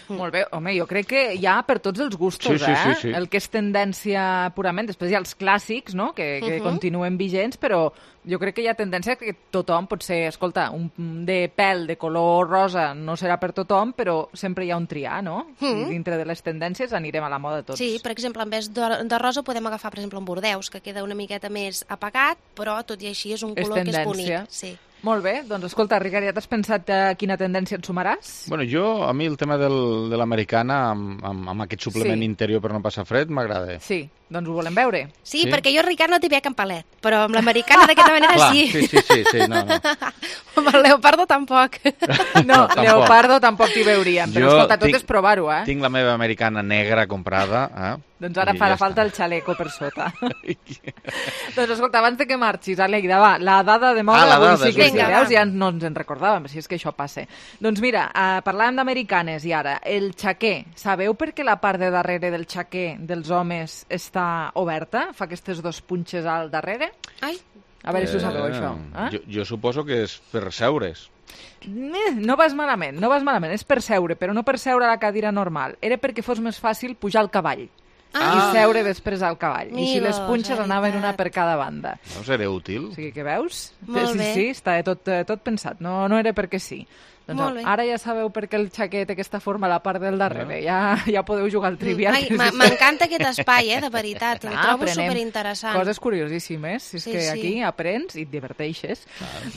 Molt bé, home, jo crec que hi ha per tots els gustos, sí. El que és tendència purament, després hi ha els clàssics, no?, que continuen vigents, però jo crec que hi ha tendència que tothom pot ser, escolta, un de pèl de color rosa no serà per tothom, però sempre hi ha un triar, no? Dintre de les tendències anirem a la moda tots. Sí, per exemple, en vez de rosa podem agafar, per exemple, un bordeus, que queda una miqueta més apagat, però tot i així és un color que és bonic. Sí. Molt bé, doncs escolta, Ricard, ja t'has pensat quina tendència et sumaràs? Bueno, a mi el tema de l'americana amb aquest suplement interior per no passar fred m'agrada. Sí, doncs ho volem veure. Sí, perquè jo, Ricard, no t'hi veig en palet, però amb l'americana d'aquesta manera sí. Sí, no. Amb el leopardo tampoc. No, leopardo tampoc t'hi veuríem, però escolta, tot és provar-ho, Tinc la meva americana negra comprada, Doncs ara farà falta el xaleco per sota. Doncs escolta, abans de que marxis, Aleida, va, la dada de moda d'avui sí que ja no ens en recordàvem, si és que això passa. Doncs mira, parlàvem d'amerikanes i ara, el xaquer. Sabeu per què la part de darrere del xaquer dels homes està oberta? Fa aquestes dos punxes al darrere? Ai. A veure si ho sabeu, això. Jo suposo que és per seure's. No vas malament, és per seure, però no per seure a la cadira normal. Era perquè fos més fàcil pujar al cavall. I seure després al cavall. I si les punxes anaven una per cada banda. No seria útil? O sigui que veus? Molt bé. Sí, està tot pensat, no era perquè sí. Doncs ara ja sabeu per què el xaquet té aquesta forma a la part del darrere. Ja podeu jugar al trivial. M'encanta aquest espai, de veritat. Ho trobo superinteressant. Coses curiosíssimes. És que aquí aprens i et diverteixes.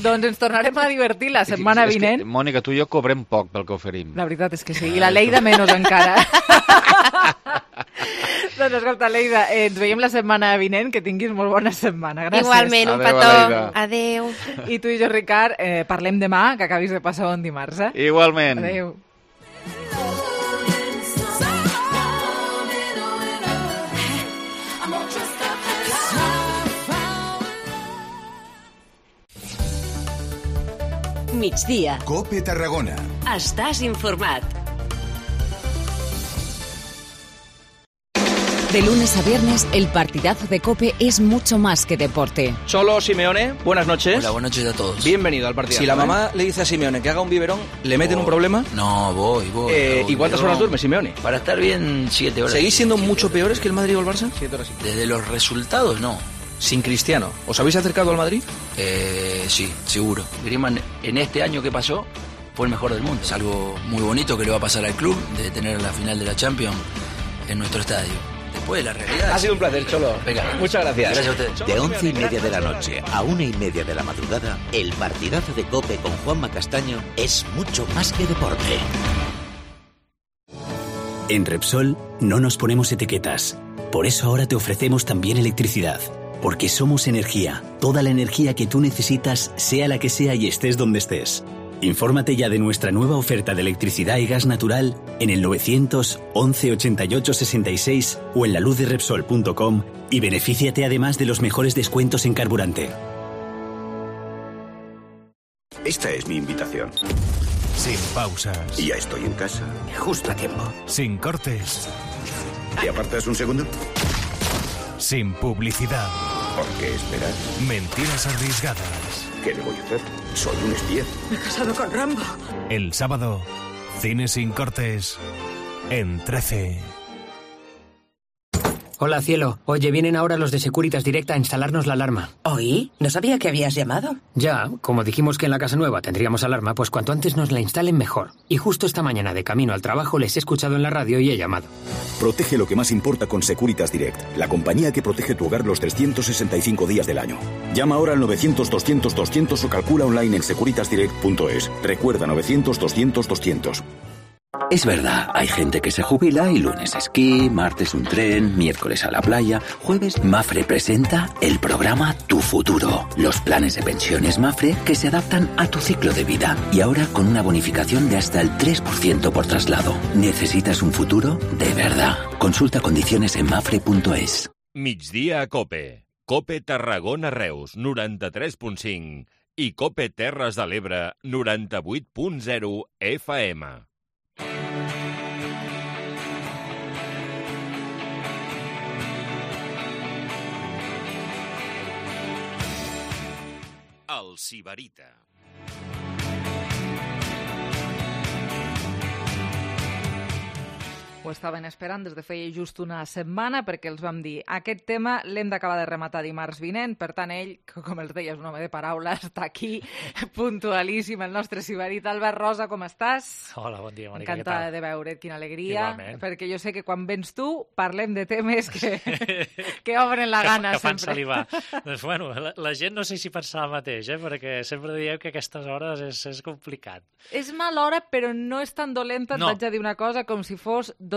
Doncs ens tornarem a divertir la setmana vinent. Mònica, tu i jo cobrem poc pel que oferim. La veritat és que sí. I la Leida menys encara. Doncs escolta, Leida, ens veiem la setmana vinent, que tinguis molt bona setmana. Gràcies. Igualment, un petó. Adéu. I tu i jo, Ricard, parlem demà, que acabis de passar bon dimarts. Igualment. Adéu. Migdia. COPE Tarragona. Estàs informat. De lunes a viernes, el partidazo de COPE es mucho más que deporte. Cholo Simeone, buenas noches. Hola, buenas noches a todos. Bienvenido al partidazo. Si la mamá le dice a Simeone que haga un biberón, ¿le meten un problema? No, voy. ¿Y cuántas horas duerme Simeone? Para estar bien, 7 horas. ¿Seguís siendo mucho peores que el Madrid o el Barça? 7 horas. Desde los resultados, no. Sin Cristiano, ¿os habéis acercado al Madrid? Sí, seguro. Griezmann, en este año que pasó, fue el mejor del mundo. Es algo muy bonito que le va a pasar al club, de tener la final de la Champions en nuestro estadio. Después, la realidad... Ha sido un placer, Cholo. Venga. Muchas gracias. Gracias a ustedes. De 11:30 de la noche a 1:30 de la madrugada, el partidazo de COPE con Juanma Castaño es mucho más que deporte. En Repsol no nos ponemos etiquetas. Por eso ahora te ofrecemos también electricidad. Porque somos energía. Toda la energía que tú necesitas, sea la que sea y estés donde estés. Infórmate ya de nuestra nueva oferta de electricidad y gas natural en el 911 88 66 o en laluzderepsol.com y benefíciate además de los mejores descuentos en carburante. Esta es mi invitación. Sin pausas. Y ya estoy en casa, justo a tiempo. Sin cortes. ¿Te apartas un segundo? Sin publicidad. ¿Por qué esperar? Mentiras arriesgadas. ¿Qué le voy a hacer? Soy un espía. Me he casado con Rambo. El sábado, Cine sin cortes en 13. Hola, cielo. Oye, vienen ahora los de Securitas Direct a instalarnos la alarma. ¿Oí? No sabía que habías llamado. Ya, como dijimos que en la casa nueva tendríamos alarma, pues cuanto antes nos la instalen mejor. Y justo esta mañana de camino al trabajo les he escuchado en la radio y he llamado. Protege lo que más importa con Securitas Direct, la compañía que protege tu hogar los 365 días del año. Llama ahora al 900-200-200 o calcula online en securitasdirect.es. Recuerda, 900-200-200. Es verdad, hay gente que se jubila y lunes esquí, martes un tren, miércoles a la playa, jueves Mafre presenta el programa Tu Futuro. Los planes de pensiones Mafre que se adaptan a tu ciclo de vida y ahora con una bonificación de hasta el 3% por traslado. ¿Necesitas un futuro? De verdad. Consulta condiciones en mafre.es. Migdia a COPE. COPE Tarragona Reus, 93.5 i COPE Terres de l'Ebre, 98.0 FM. El Sibarita. Ho estaven esperant des de feia just una setmana perquè els vam dir aquest tema l'hem d'acabar de rematar dimarts vinent, per tant ell, que com els deia és un home de paraula, està aquí puntualíssim, el nostre Sibarita. Albert Rosa, com estàs? Hola, bon dia, Mònica, encantada de veure't, quina alegria. Igualment. Perquè jo sé que quan vens tu parlem de temes que obren la gana que fan sempre. salivar. Doncs bueno, la gent no sé si pensava el mateix, perquè sempre dieu que aquestes hores és complicat. És mala hora, però no és tan dolenta, et vaig a dir una cosa, com si fos 12:30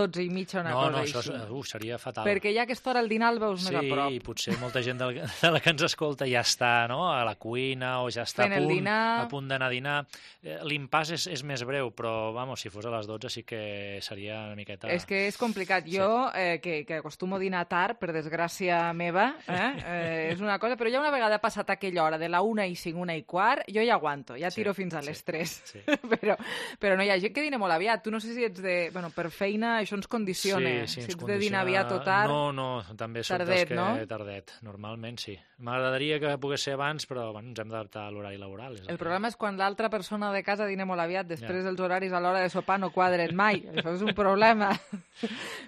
una cosa això així. seria fatal. Perquè ja a aquesta hora el dinar el veus més a prop. Sí, potser molta gent de la que ens escolta ja està, no?, a la cuina o ja està a punt d'anar a dinar. L'impàs és més breu, però, vamos, si fos a les 12 sí que seria una miqueta... És que és complicat. Jo, que acostumo a dinar tard, per desgràcia meva, és una cosa, però ja una vegada passat aquella hora de la 1:05, 1:15, jo ja aguanto, ja tiro fins a les 3. Sí. Però no hi ha gent que dina molt aviat. Tu no sé si ets de... Bueno, per feina això ens condiciona. Sí, si ets de dinar aviat o tard... No, també soc dels que... Tardet, normalment sí. M'agradaria que pogués ser abans, però bueno, ens hem d'adaptar a l'horari laboral. El problema és quan l'altra persona de casa dina molt aviat, després els horaris a l'hora de sopar no quadren mai. Això és un problema.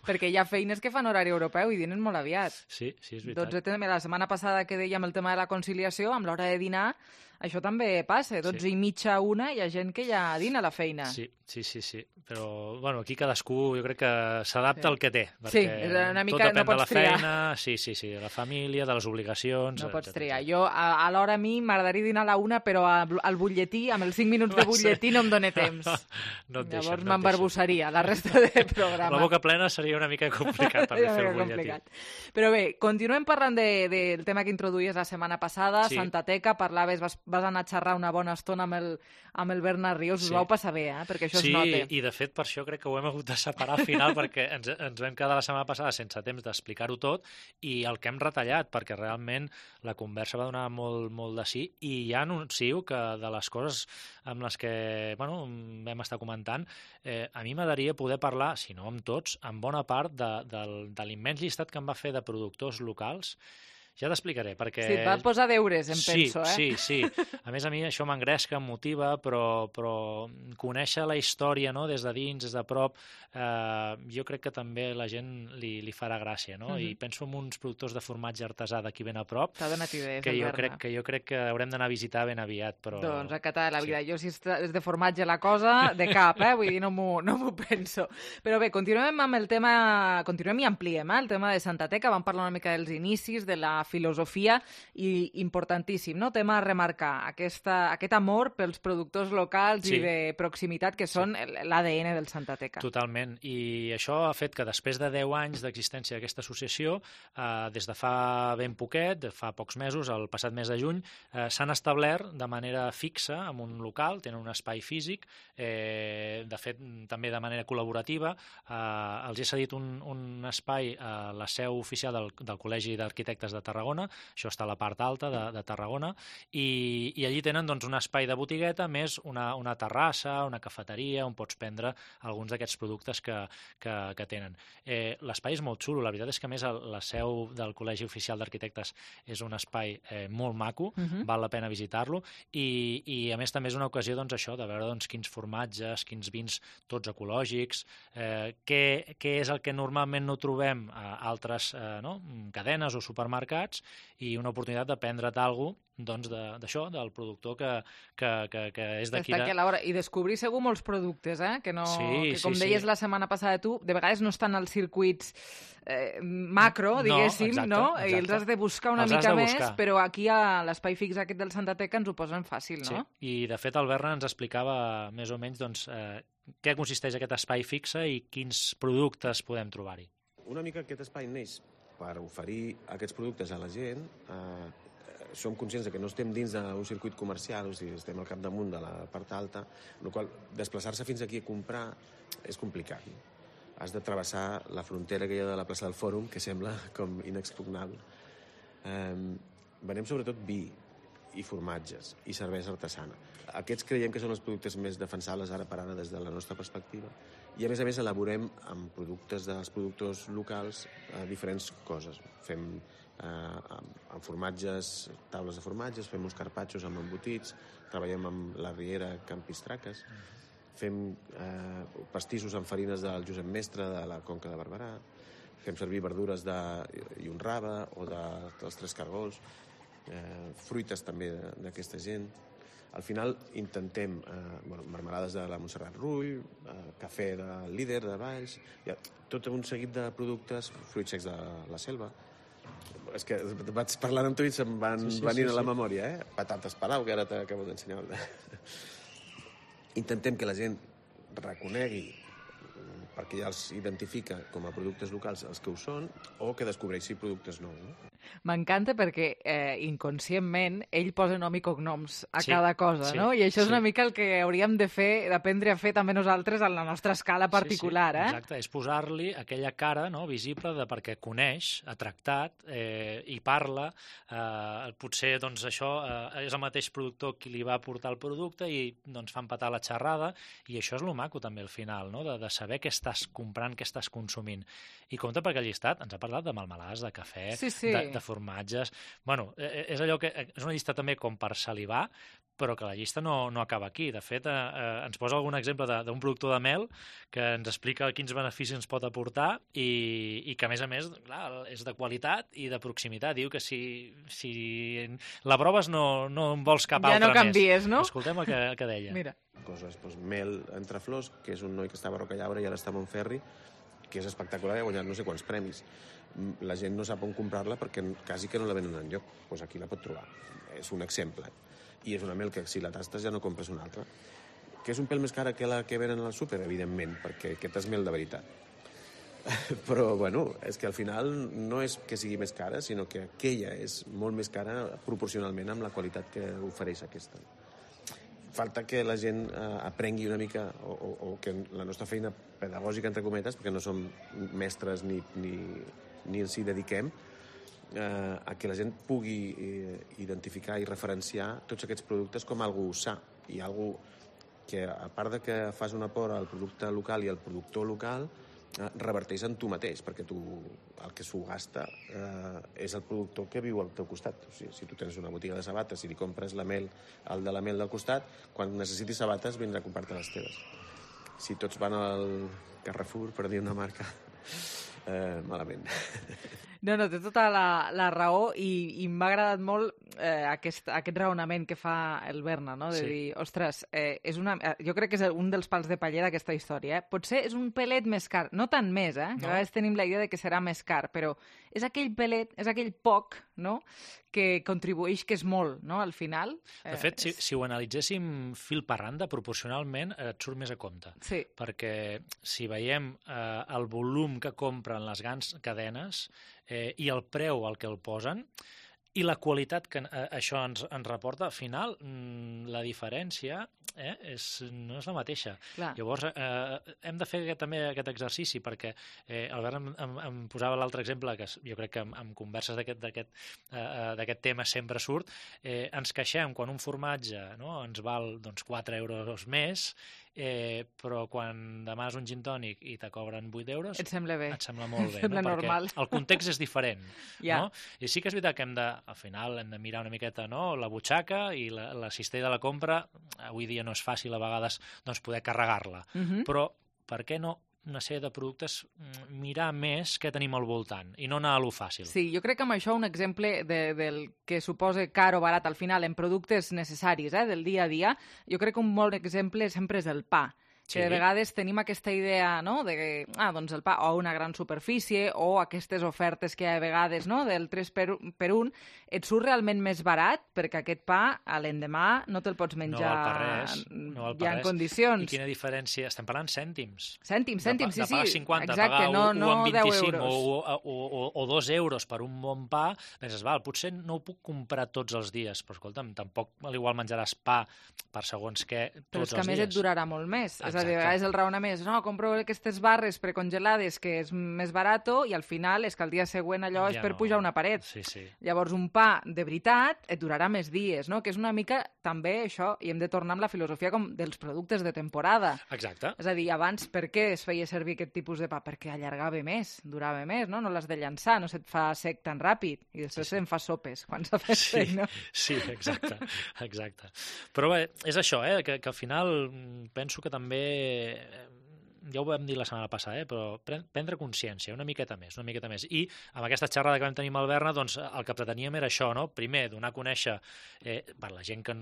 Perquè hi ha feines que fan horari europeu i dinen molt aviat. Sí, és veritat. La setmana passada que dèiem el tema de la conciliació, amb l'hora de dinar, això també passa. 12:30, 1, hi ha gent que ja dina a la feina. Sí. Però, bueno, aquí cadascú jo crec que s'adapta al que té. Sí, una mica no pots triar. Tot depèn de la feina, de la família, de les obligacions... No pots triar. Jo, a l'hora a mi, m'agradaria dinar a la 1, però al butlletí, amb els 5 minuts de butlletí, no em dóna temps. Llavors m'embarbussaria la resta del programa. La boca plena seria una mica complicat també fer el butlletí. Però bé, continuem parlant del tema que introduïes la setmana passada, Santa Teca, parlaves, vas anar a xerrar una bona estona amb el Bernat Rius, us vau passar bé, perquè això es nota. Sí, i de fet per això crec que ho hem hagut de separar al final, perquè ens vam quedar la setmana passada sense temps d'explicar-ho tot, i el que hem retallat, perquè realment la conversa va donar molt de sí, i ja anuncio que de les coses amb les que vam estar comentant, a mi m'agradaria poder parlar, si no amb tots, amb bona part de l'immens llistat que em va fer de productors locals. Ja t'explicaré, perquè... Sí, et va posar deures, penso, Sí. A més, a mi això m'engresca, em motiva, però conèixer la història, no?, des de dins, des de prop, jo crec que també la gent li farà gràcia, no? I penso en uns productors de formatge artesà d'aquí ben a prop, t'ha donat idees, que jo crec que haurem d'anar a visitar ben aviat, però... Doncs a catar la vida. Jo, si és de formatge la cosa, de cap, vull dir, no m'ho penso. Però bé, continuem amb el tema, continuem i ampliem, el tema de Santa Teca, vam parlar una mica dels inicis, de la filosofia, i importantíssim, no? Tema a remarcar, aquest amor pels productors locals i de proximitat que són l'ADN del Santa Teca. Totalment, i això ha fet que després de 10 anys d'existència d'aquesta associació, des de fa ben poquet, fa pocs mesos, el passat mes de juny, s'han establert de manera fixa en un local, tenen un espai físic, de fet també de manera col·laborativa, els he cedit un espai a la seu oficial del Col·legi d'Arquitectes de Tarragona, això està a la part alta de Tarragona, i allí tenen un espai de botigueta més una terrassa, una cafeteria on pots prendre alguns d'aquests productes que tenen. L'espai és molt xulo, la veritat és que a més la seu del Col·legi Oficial d'Arquitectes és un espai molt maco, val la pena visitar-lo, i a més també és una ocasió això de veure quins formatges, quins vins tots ecològics, què és el que normalment no trobem a altres cadenes o supermercats, i una oportunitat de prendre't alguna cosa d'això, del productor que és d'aquí. I descobrir segur molts productes, que com deies la setmana passada tu, de vegades no estan als circuits macro, diguéssim, no? I els has de buscar una mica més, però aquí a l'espai fix aquest del Santa Teca ens ho posen fàcil, no? Sí, i de fet el Berna ens explicava més o menys què consisteix aquest espai fixe i quins productes podem trobar-hi. Una mica aquest espai neix per oferir aquests productes a la gent. Som conscients que no estem dins d'un circuit comercial, o sigui, estem al capdamunt de la part alta, amb la qual desplaçar-se fins aquí a comprar és complicat. Has de travessar la frontera que hi ha de la plaça del Fòrum, que sembla com inexpugnable. Venem sobretot vi i formatges i cervesa artesana. Aquests creiem que són els productes més defensables ara per ara des de la nostra perspectiva, i a més elaborem amb productes dels productors locals diferents coses. Fem amb formatges, taules de formatges, fem uns carpaccios amb embotits, treballem amb la Riera Campistraques, fem pastissos amb farines del Josep Mestre de la Conca de Barberà, fem servir verdures i un rave o dels Tres Cargols, fruites també d'aquesta gent. Al final intentem marmelades de la Montserrat Rull, cafè del Líder de Valls, tot un seguit de productes, fruits secs de la selva. És que vaig parlant amb tu i se'm van venint a la memòria, patates Palau, que ara t'acabo d'ensenyar. Intentem que la gent reconegui, perquè ja els identifica com a productes locals els que ho són, o que descobreixi productes nous. M'encanta perquè inconscientment ell posa nom i cognoms a cada cosa, no? I això és una mica el que hauríem de fer, d'aprendre a fer també nosaltres a la nostra escala particular. Exacte, és posar-li aquella cara visible de perquè coneix, ha tractat i parla. Potser això és el mateix productor qui li va portar el producte i fa empatar la xerrada, i això és lo maco també al final, de saber què estàs comprant, què estàs consumint. I compte perquè el llistat ens ha parlat de melmelades, de cafè, de formatges. És allò que és una llista també com per salivar, però que la llista no acaba aquí. De fet, ens posa algun exemple d'un productor de mel que ens explica quins beneficis ens pot aportar i que, a més, clar, és de qualitat i de proximitat. Diu que si la proves no en vols cap altra més. Ja no canvies, no? Escoltem el que deia. Mira. Coses, mel entre flors, que és un noi que estava a Rocallaura i ara està a Montferri, que és espectacular, ha guanyat no sé quants premis. La gent no sap on comprar-la perquè quasi que no la venen enlloc. Doncs aquí la pot trobar. És un exemple. I és una mel que si la tastes ja no compres una altra. Que és un pèl més cara que la que venen al súper, evidentment, perquè aquest és mel de veritat. Però, bueno, és que al final no és que sigui més cara, sinó que aquella és molt més cara proporcionalment amb la qualitat que ofereix aquesta. Falta que la gent aprengui una mica, o que la nostra feina pedagògica, entre cometes, perquè no som mestres ni ens hi dediquem, a que la gent pugui identificar i referenciar tots aquests productes com algú sa i algú que, a part de que fas un aport al producte local i al productor local, reverteix en tu mateix, perquè tu el que s'ho gasta és el productor que viu al teu costat. O sigui, si tu tens una botiga de sabates i li compres la mel al de la mel del costat, quan necessitis sabates vindrà a comprar-te les teves. Si tots van al Carrefour, per dir una marca, malament. No, té tota la raó i m'ha agradat molt aquest raonament que fa el Berna, no? De dir, ostres, jo crec que és un dels pals de paller d'aquesta història. Potser és un pelet més car, no tant més, que a vegades tenim la idea de que serà més car, però és aquell pelet, és aquell poc, no?, que contribueix, que és molt, no?, al final. De fet, si ho analitzéssim fil per randa, proporcionalment et surt més a compte. Sí. Perquè si veiem el volum que compren les grans cadenes i el preu al que el posen, i la qualitat que això ens reporta, al final la diferència no és la mateixa. Clar. Llavors, hem de fer també aquest exercici, perquè Albert em posava l'altre exemple, que jo crec que en converses d'aquest tema sempre surt, ens queixem quan un formatge ens val 4 euros més, però quan demanes un gin tònic i te cobren 8 euros... Et sembla bé. Et sembla molt bé, sembla normal. Perquè el context és diferent. Ja. No? I sí que és veritat que al final hem de mirar una miqueta la butxaca i la cistella de la compra. Avui dia no és fàcil a vegades poder carregar-la. Però per què no una sèrie de productes, mirar més què tenim al voltant i no anar a lo fàcil. Sí, jo crec que amb això un exemple del que suposa car o barat al final en productes necessaris del dia a dia, jo crec que un bon exemple sempre és el pa. Que de vegades tenim aquesta idea, no?, de que, doncs el pa o una gran superfície o aquestes ofertes que hi ha a vegades, no?, del 3 per 1, et surt realment més barat perquè aquest pa a l'endemà no te'l pots menjar ja en condicions. I quina diferència? Estem parlant cèntims. Cèntims, sí. De pagar 50, exacte, pagar 1 amb 25 o 2 euros per un bon pa, penses, potser no ho puc comprar tots els dies, però escolta'm, tampoc igual menjaràs pa per segons què tots els dies. Però és que a més et durarà molt més. Exacte. És a dir, a vegades el raonament és, compro aquestes barres precongelades que és més barato i al final és que el dia següent allò és per pujar una paret. Sí. Llavors un pa de veritat et durarà més dies, no? Que és una mica també això, i hem de tornar amb la filosofia com dels productes de temporada. Exacte. És a dir, abans per què es feia servir aquest tipus de pa? Perquè allargava més, durava més, no? No l'has de llançar, no se't fa sec tan ràpid i després se'n fa sopes quan s'ha fet sec, no? Sí, exacte. Però bé, és això, que al final penso que també, ja ho vam dir la setmana passada, però prendre consciència una miqueta més. I amb aquesta xerrada que vam tenir amb el Berna, doncs el que preteníem era això, no? Primer, donar a conèixer per la gent que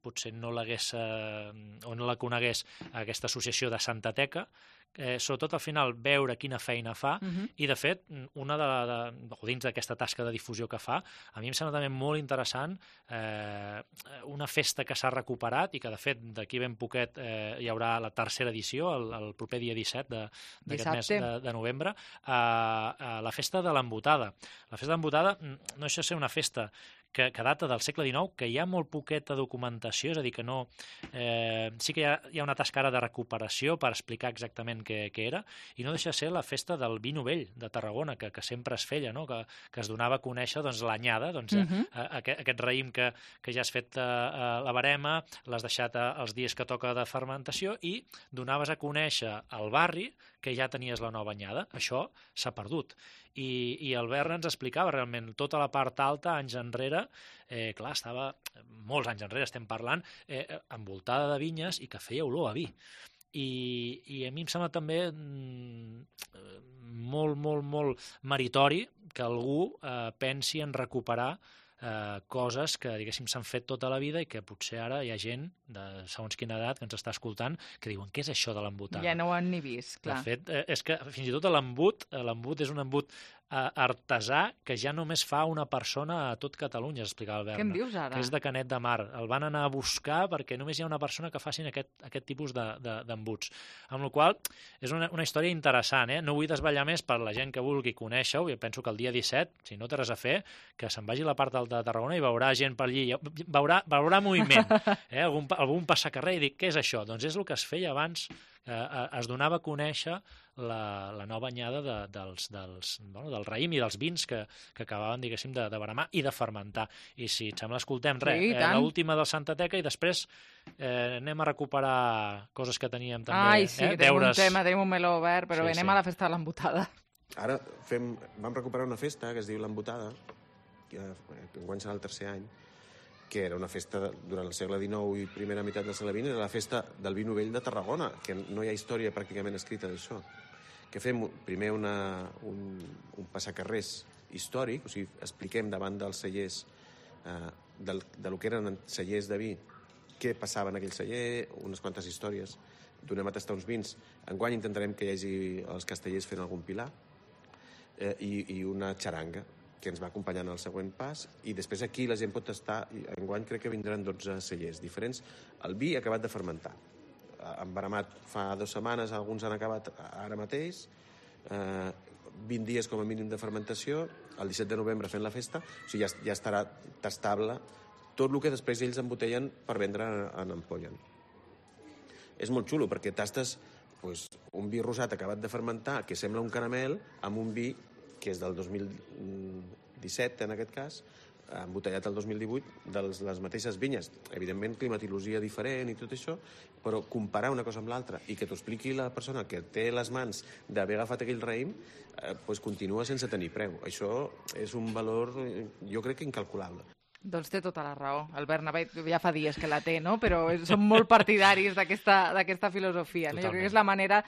potser no l'hagués o no la conegués, aquesta associació de Santa Teca, sobretot al final veure quina feina fa i de fet dins d'aquesta tasca de difusió que fa, a mi em sembla també molt interessant una festa que s'ha recuperat i que de fet d'aquí ben poquet hi haurà la tercera edició el proper dia 17 d'aquest mes de novembre, la festa de l'embotada. La festa de l'embotada no deixa de ser una festa que data del segle XIX, que hi ha molt poqueta documentació, és a dir, que no... sí que hi ha una tasca ara de recuperació per explicar exactament què era, i no deixa de ser la festa del vi novell de Tarragona, que sempre es feia, no? Que es donava a conèixer l'anyada, aquest raïm que ja has fet la barema, l'has deixat els dies que toca de fermentació i donaves a conèixer al barri que ja tenies la nova anyada. Això s'ha perdut. I el Berna ens explicava realment tota la part alta, anys enrere, clar, estava molts anys enrere, estem parlant, envoltada de vinyes i que feia olor a vi. I a mi em sembla també molt meritori que algú pensi en recuperar coses que, diguéssim, s'han fet tota la vida i que potser ara hi ha gent de segons quina edat que ens està escoltant que diuen, què és això de l'embotada? Ja no ho han ni vist, clar. De fet, és que fins i tot l'embut és un embut artesà que ja només fa una persona a tot Catalunya, explicava el Berna. Què em dius ara? Que és de Canet de Mar. El van anar a buscar perquè només hi ha una persona que facin aquest tipus d'embuts. Amb la qual és una història interessant, No vull desvetllar més per la gent que vulgui conèixer-ho. Jo penso que el dia 17, si no té res a fer, que se'n vagi a la part alta de Tarragona i veurà gent per allí, veurà moviment, algun passacarrer i dic, què és això? Doncs és el que es feia abans, es donava a conèixer la nova anyada del raïm i dels vins que acabaven, diguéssim, de baramar i de fermentar. I si et sembla, escoltem l'última del Santa Teca i després anem a recuperar coses que teníem també. Ai, sí, tenim un tema, tenim un meló obert, però anem a la festa de l'embotada. Ara vam recuperar una festa que es diu l'embotada, que enguany serà el 3è any, que era una festa durant el segle XIX i primera meitat del segle XX, era la festa del vi novell de Tarragona, que no hi ha història pràcticament escrita d'això. Que fem primer un passacarrers històric, o sigui, expliquem davant dels cellers del que eren cellers de vi, què passava en aquell celler, unes quantes històries, donem a tastar uns vins. Enguany intentarem que hi hagi els castellers fent algun pilar i una xaranga que ens va acompanyant al següent pas, i després aquí la gent pot tastar, i enguany crec que vindran 12 cellers diferents. El vi acabat de fermentar. Embaramat fa 2 setmanes, alguns han acabat ara mateix, 20 dies com a mínim de fermentació, el 17 de novembre fent la festa, o sigui, ja estarà tastable tot el que després ells embotellen per vendre en ampolla. És molt xulo, perquè tastes un vi rosat acabat de fermentar, que sembla un caramel, amb un vi que és del 2017, en aquest cas, embotellat el 2018, de les mateixes vinyes. Evidentment, climatologia diferent i tot això, però comparar una cosa amb l'altra i que t'ho expliqui la persona que té les mans d'haver agafat aquell raïm, continua sense tenir preu. Això és un valor, jo crec que incalculable. Doncs té tota la raó. El Bernabé ja fa dies que la té, no? Però som molt partidaris d'aquesta filosofia. No? Jo crec que és la manera,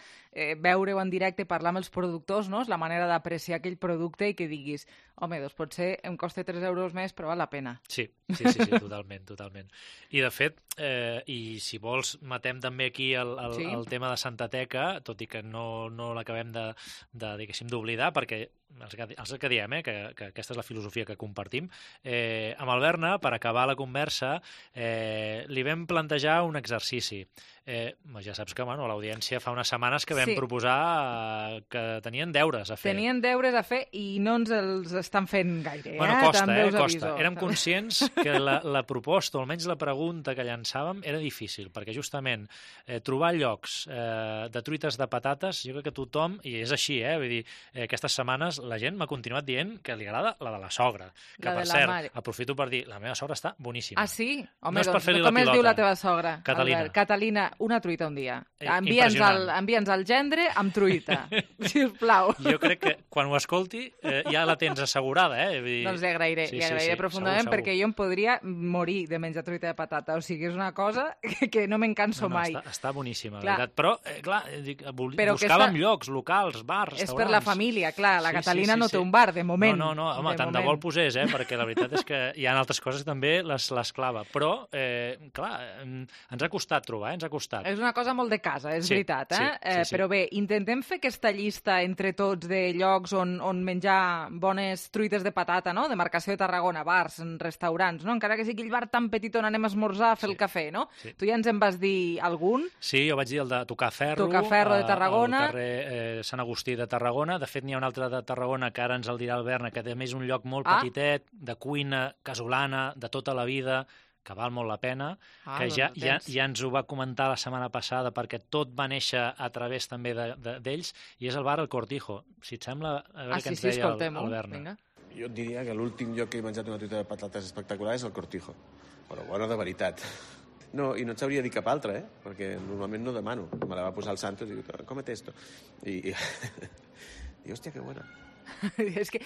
veure-ho en directe, parlar amb els productors, no? És la manera d'apreciar aquell producte i que diguis, home, doncs potser em costa 3 euros més, però val la pena. Sí, totalment. I de fet, i si vols, matem també aquí el tema de Santa Teca, tot i que no l'acabem diguéssim, d'oblidar, perquè els que diem, que aquesta és la filosofia que compartim. Amb el Berna, per acabar la conversa, li vam plantejar un exercici. Ja saps que l'audiència fa unes setmanes que vam proposar que tenien deures a fer. Tenien deures a fer i no ens els estan fent gaire. Costa. Érem conscients que la proposta, o almenys la pregunta que llançàvem, era difícil, perquè justament trobar llocs de truites de patates, jo crec que tothom, i és així, vull dir, aquestes setmanes la gent m'ha continuat dient que li agrada la de la sogra, que per cert, aprofito per dir, la meva sogra està boníssima. Ah, sí? Home, doncs com es diu la teva sogra? Catalina, una truita un dia. Envia'ns el gendre amb truita, sisplau. Jo crec que quan ho escolti ja la tens assegurada, Doncs li agrairé profundament, segur. Perquè jo em podria morir de menjar truita de patata, o sigui, és una cosa que no me'n canso mai. Està boníssima, la veritat. Però, clar, buscàvem llocs, locals, bars, restaurants. És per la família, clar, la Catalina no té un bar, de moment. No, home, tant de bo el posés, perquè la veritat és que hi ha altres coses també les clava. Però, clar, ens ha costat trobar, ens ha costat. És una cosa molt de casa, és veritat, Però bé, intentem fer aquesta llista entre tots de llocs on menjar bones truites de patata, no? Demarcació de Tarragona, bars, restaurants, no? Encara que sigui aquell bar tan petit on anem a esmorzar a fer el cafè, no? Sí. Tu ja ens en vas dir algun? Sí, jo vaig dir el de Tocaferro. Tocaferro de Tarragona. Al carrer Sant Agustí de Tarragona. De fet, n'hi ha un altre de Tarragona que ara ens el dirà el Berna, que també és un lloc molt petitet, de cuina casolana, de tota la vida, que val molt la pena, que ja ens ho va comentar la setmana passada, perquè tot va néixer a través també d'ells, i és el bar El Cortijo. Si et sembla, a veure què ens deia el Berna. Jo et diria que l'últim lloc que he menjat una truita de patates espectacular és El Cortijo, però bona de veritat. No, i no et sabria dir cap altre, perquè normalment no demano. Me la va posar el Santos i diu, cómete esto. I hòstia, que bona. És que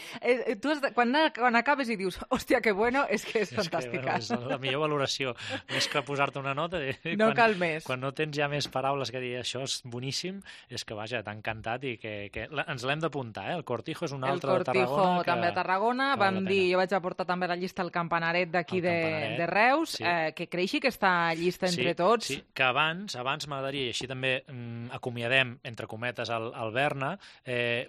tu quan acabes i dius hòstia, que bueno, és que és fantàstica. És la millor valoració, més que posar-te una nota. No cal més. Quan no tens ja més paraules que dir això és boníssim, és que vaja, t'ha encantat i que ens l'hem d'apuntar, El Cortijo és un altre de Tarragona. El Cortijo també a Tarragona, vam dir, jo vaig aportar també a la llista el campanaret d'aquí de Reus, que creixi aquesta llista entre tots. Sí, que abans m'agradaria, i així també acomiadem, entre cometes, el Berna,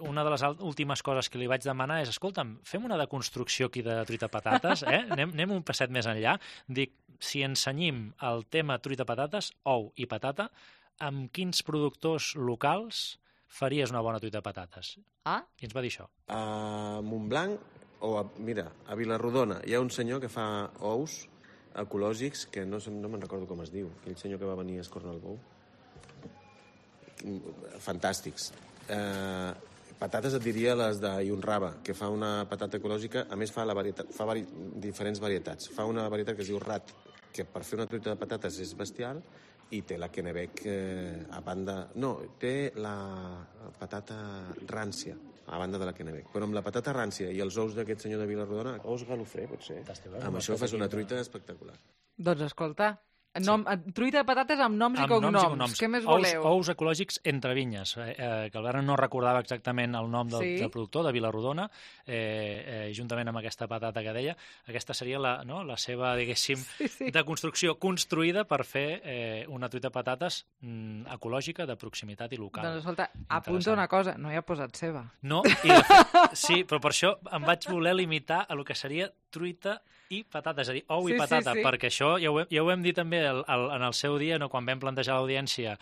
una de les últimes coses les que li vaig demanar és, escolta'm, fem una deconstrucció aquí de truita patates, anem un passet més enllà. Dic, si ensenyim el tema truita patates, ou i patata, amb quins productors locals faries una bona truita patates? I ens va dir això. A Montblanc, mira, a Vilarrodona, hi ha un senyor que fa ous ecològics, que no me'n recordo com es diu, aquell senyor que va venir a escornar el bou. Fantàstics. Patates et diria les de Yunraba, que fa una patata ecològica, a més fa diferents varietats. Fa una varietat que es diu Rat, que per fer una truita de patates és bestial, i té la Kennebec a banda... No, té la patata rància a banda de la Kennebec. Però amb la patata rància i els ous d'aquest senyor de Vilarrodona, ous galofré, potser, amb això fas una truita espectacular. Doncs escolta, truita de patates amb noms i cognoms. Què més voleu? Ous ecològics entre vinyes, que el Bernat no recordava exactament el nom del productor, de Vilarrodona, juntament amb aquesta patata que deia. Aquesta seria la seva, diguéssim, deconstrucció construïda per fer una truita de patates ecològica, de proximitat i local. Doncs escolta, apunta una cosa, no hi ha posat ceba. No, sí, però per això em vaig voler limitar a lo que seria truita i patata, és a dir, ou i patata, perquè això ja ho hem dit també en el seu dia, quan vam plantejar a l'audiència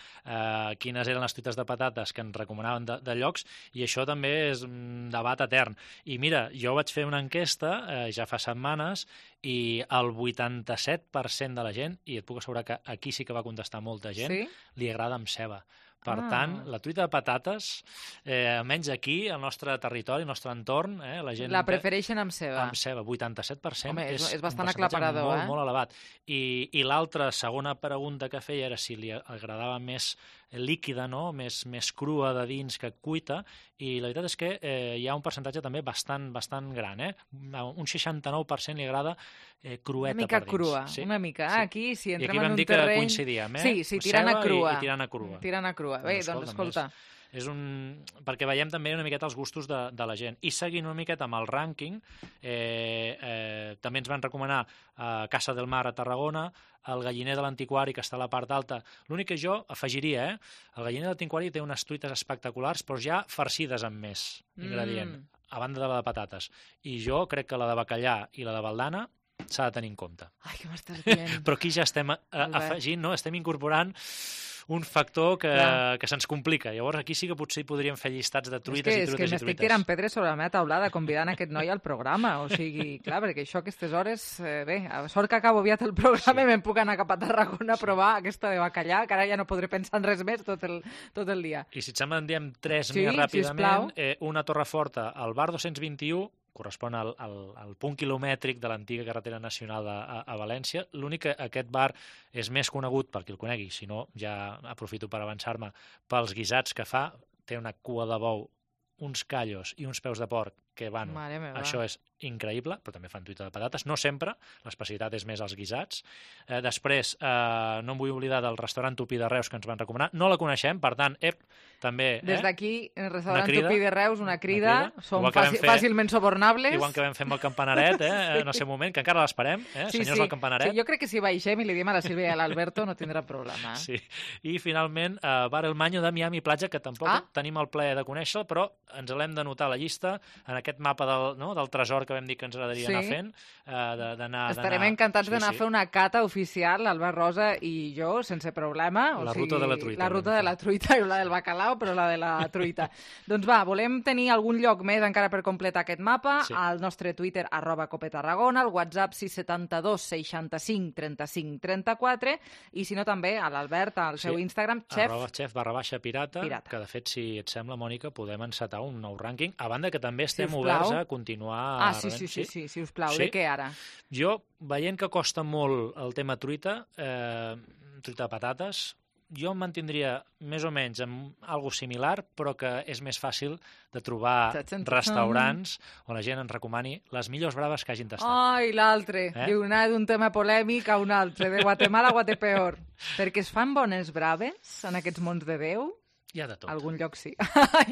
quines eren les truites de patates que ens recomanaven de llocs, i això també és un debat etern. I mira, jo vaig fer una enquesta ja fa setmanes i el 87% de la gent, i et puc assegurar que aquí sí que va contestar molta gent, li agrada amb ceba. Per tant, la truita de patates, almenys aquí, al nostre territori, al nostre entorn, la gent... La prefereixen amb ceba. Amb ceba, 87%. Home, és bastant aclaparador, molt, molt elevat. I l'altra segona pregunta que feia era si li agradava més líquida, més crua de dins que cuita, i la veritat és que hi ha un percentatge també bastant gran. Un 69% li agrada crueta per dins. Una mica crua, una mica. Aquí, si entrem en un terreny... I aquí vam dir que coincidíem, Sí, tirant a crua. I tirant a crua. Tirant a crua. Bé, doncs escolta... Perquè veiem també una miqueta els gustos de la gent. I seguint una miqueta amb el rànquing, també ens van recomanar Casa del Mar a Tarragona, el Galliner de l'Antiquari, que està a la part alta. L'únic que jo afegiria, el Galliner de l'Antiquari té unes truites espectaculars, però ja farcides amb més ingredient, a banda de la de patates. I jo crec que la de bacallà i la de baldana s'ha de tenir en compte. Ai, què m'estàs dient? Però aquí ja estem afegint, estem incorporant un factor que se'ns complica. Llavors aquí sí que potser hi podríem fer llistats de truites i truites i truites. És que m'estic tirant pedres sobre la meva taulada convidant aquest noi al programa. O sigui, clar, perquè això a aquestes hores... Bé, a sort que acabo aviat el programa i me'n puc anar cap a Tarragona a provar aquesta de bacallà, que ara ja no podré pensar en res més tot el dia. I si et sembla en diem 3 més ràpidament. Una Torreforta, al bar 221, correspon al punt quilomètric de l'antiga carretera nacional a València. L'únic que aquest bar és més conegut, per qui el conegui, si no ja aprofito per avançar-me, pels guisats que fa. Té una cua de bou, uns callos i uns peus de porc que, bueno, això és increïble, però també fan truita de patates. No sempre, l'especialitat és més els guisats. Després, no em vull oblidar del restaurant Tupí de Reus, que ens van recomanar. No la coneixem, per tant, també... Des d'aquí, el restaurant Tupí de Reus, una crida. Som fàcilment sobornables. Igual que vam fer amb el campanaret, en el seu moment, que encara l'esperem, senyors del campanaret. Sí, jo crec que si baixem i li diem a la Sílvia i a l'Alberto no tindrà problema. Sí. I, finalment, Bar El Maño de Miami Platja, que tampoc tenim el plaer de conèixer, però ens l'hem d'anotar a la llista, en aquest mapa del tresor que vam dir que ens agradaria anar fent, d'anar... Estarem encantats d'anar a fer una cata oficial, Albert Rosa i jo, sense problema. La ruta de la truita. La ruta de la truita, i la del bacalao, però la de la truita. Doncs va, volem tenir algun lloc més encara per completar aquest mapa, al nostre Twitter, @copetarragona, al WhatsApp 672 65 35 34, i si no també a l'Albert, al seu Instagram, @chef_pirata, que de fet, si et sembla, Mònica, podem encetar un nou rànquing, a banda que també estem oberts a continuar... Sí, si us plau. De què ara? Jo, veient que costa molt el tema truita de patates, jo em mantindria més o menys amb algo similar, però que és més fàcil de trobar restaurants on la gent ens recomani les millors braves que hagin tastat. Ai, l'altre. Diu, anar d'un tema polèmic a un altre, de Guatemala a Guatepeor. Perquè es fan bones braves en aquests mons de Déu? Hi ha de tot. Algun lloc sí.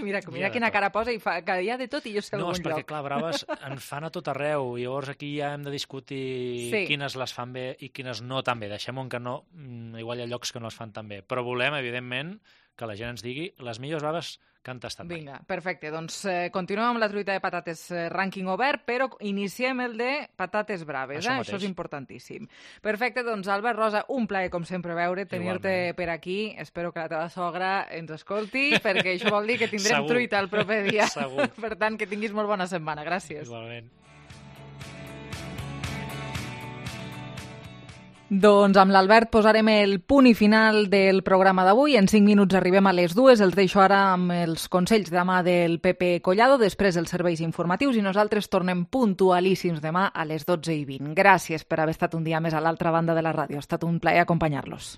mira quina cara posa i fa que hi ha de tot i jo sé algun lloc. No, és perquè, clar, braves en fan a tot arreu. I llavors aquí ja hem de discutir quines les fan bé i quines no tan bé. Deixem-ho que no, igual hi ha llocs que no les fan tan bé. Però volem, evidentment, que la gent ens digui les millors baves que han tastat mai. Vinga, perfecte. Doncs continuem amb la truita de patates rànquing obert, però iniciem el de patates braves. Això és importantíssim. Perfecte, doncs Albert, Rosa, un plaer, com sempre, veure, tenir-te per aquí. Espero que la teva sogra ens escolti, perquè això vol dir que tindrem truita el proper dia. Segur. Per tant, que tinguis molt bona setmana. Gràcies. Igualment. Doncs amb l'Albert posarem el punt i final del programa d'avui. En 5 minuts arribem a les 2. Els deixo ara amb els consells de mà del Pepe Collado, després els serveis informatius, i nosaltres tornem puntualíssims demà a les 12:20. Gràcies per haver estat un dia més a l'altra banda de la ràdio. Ha estat un plaer acompanyar-los.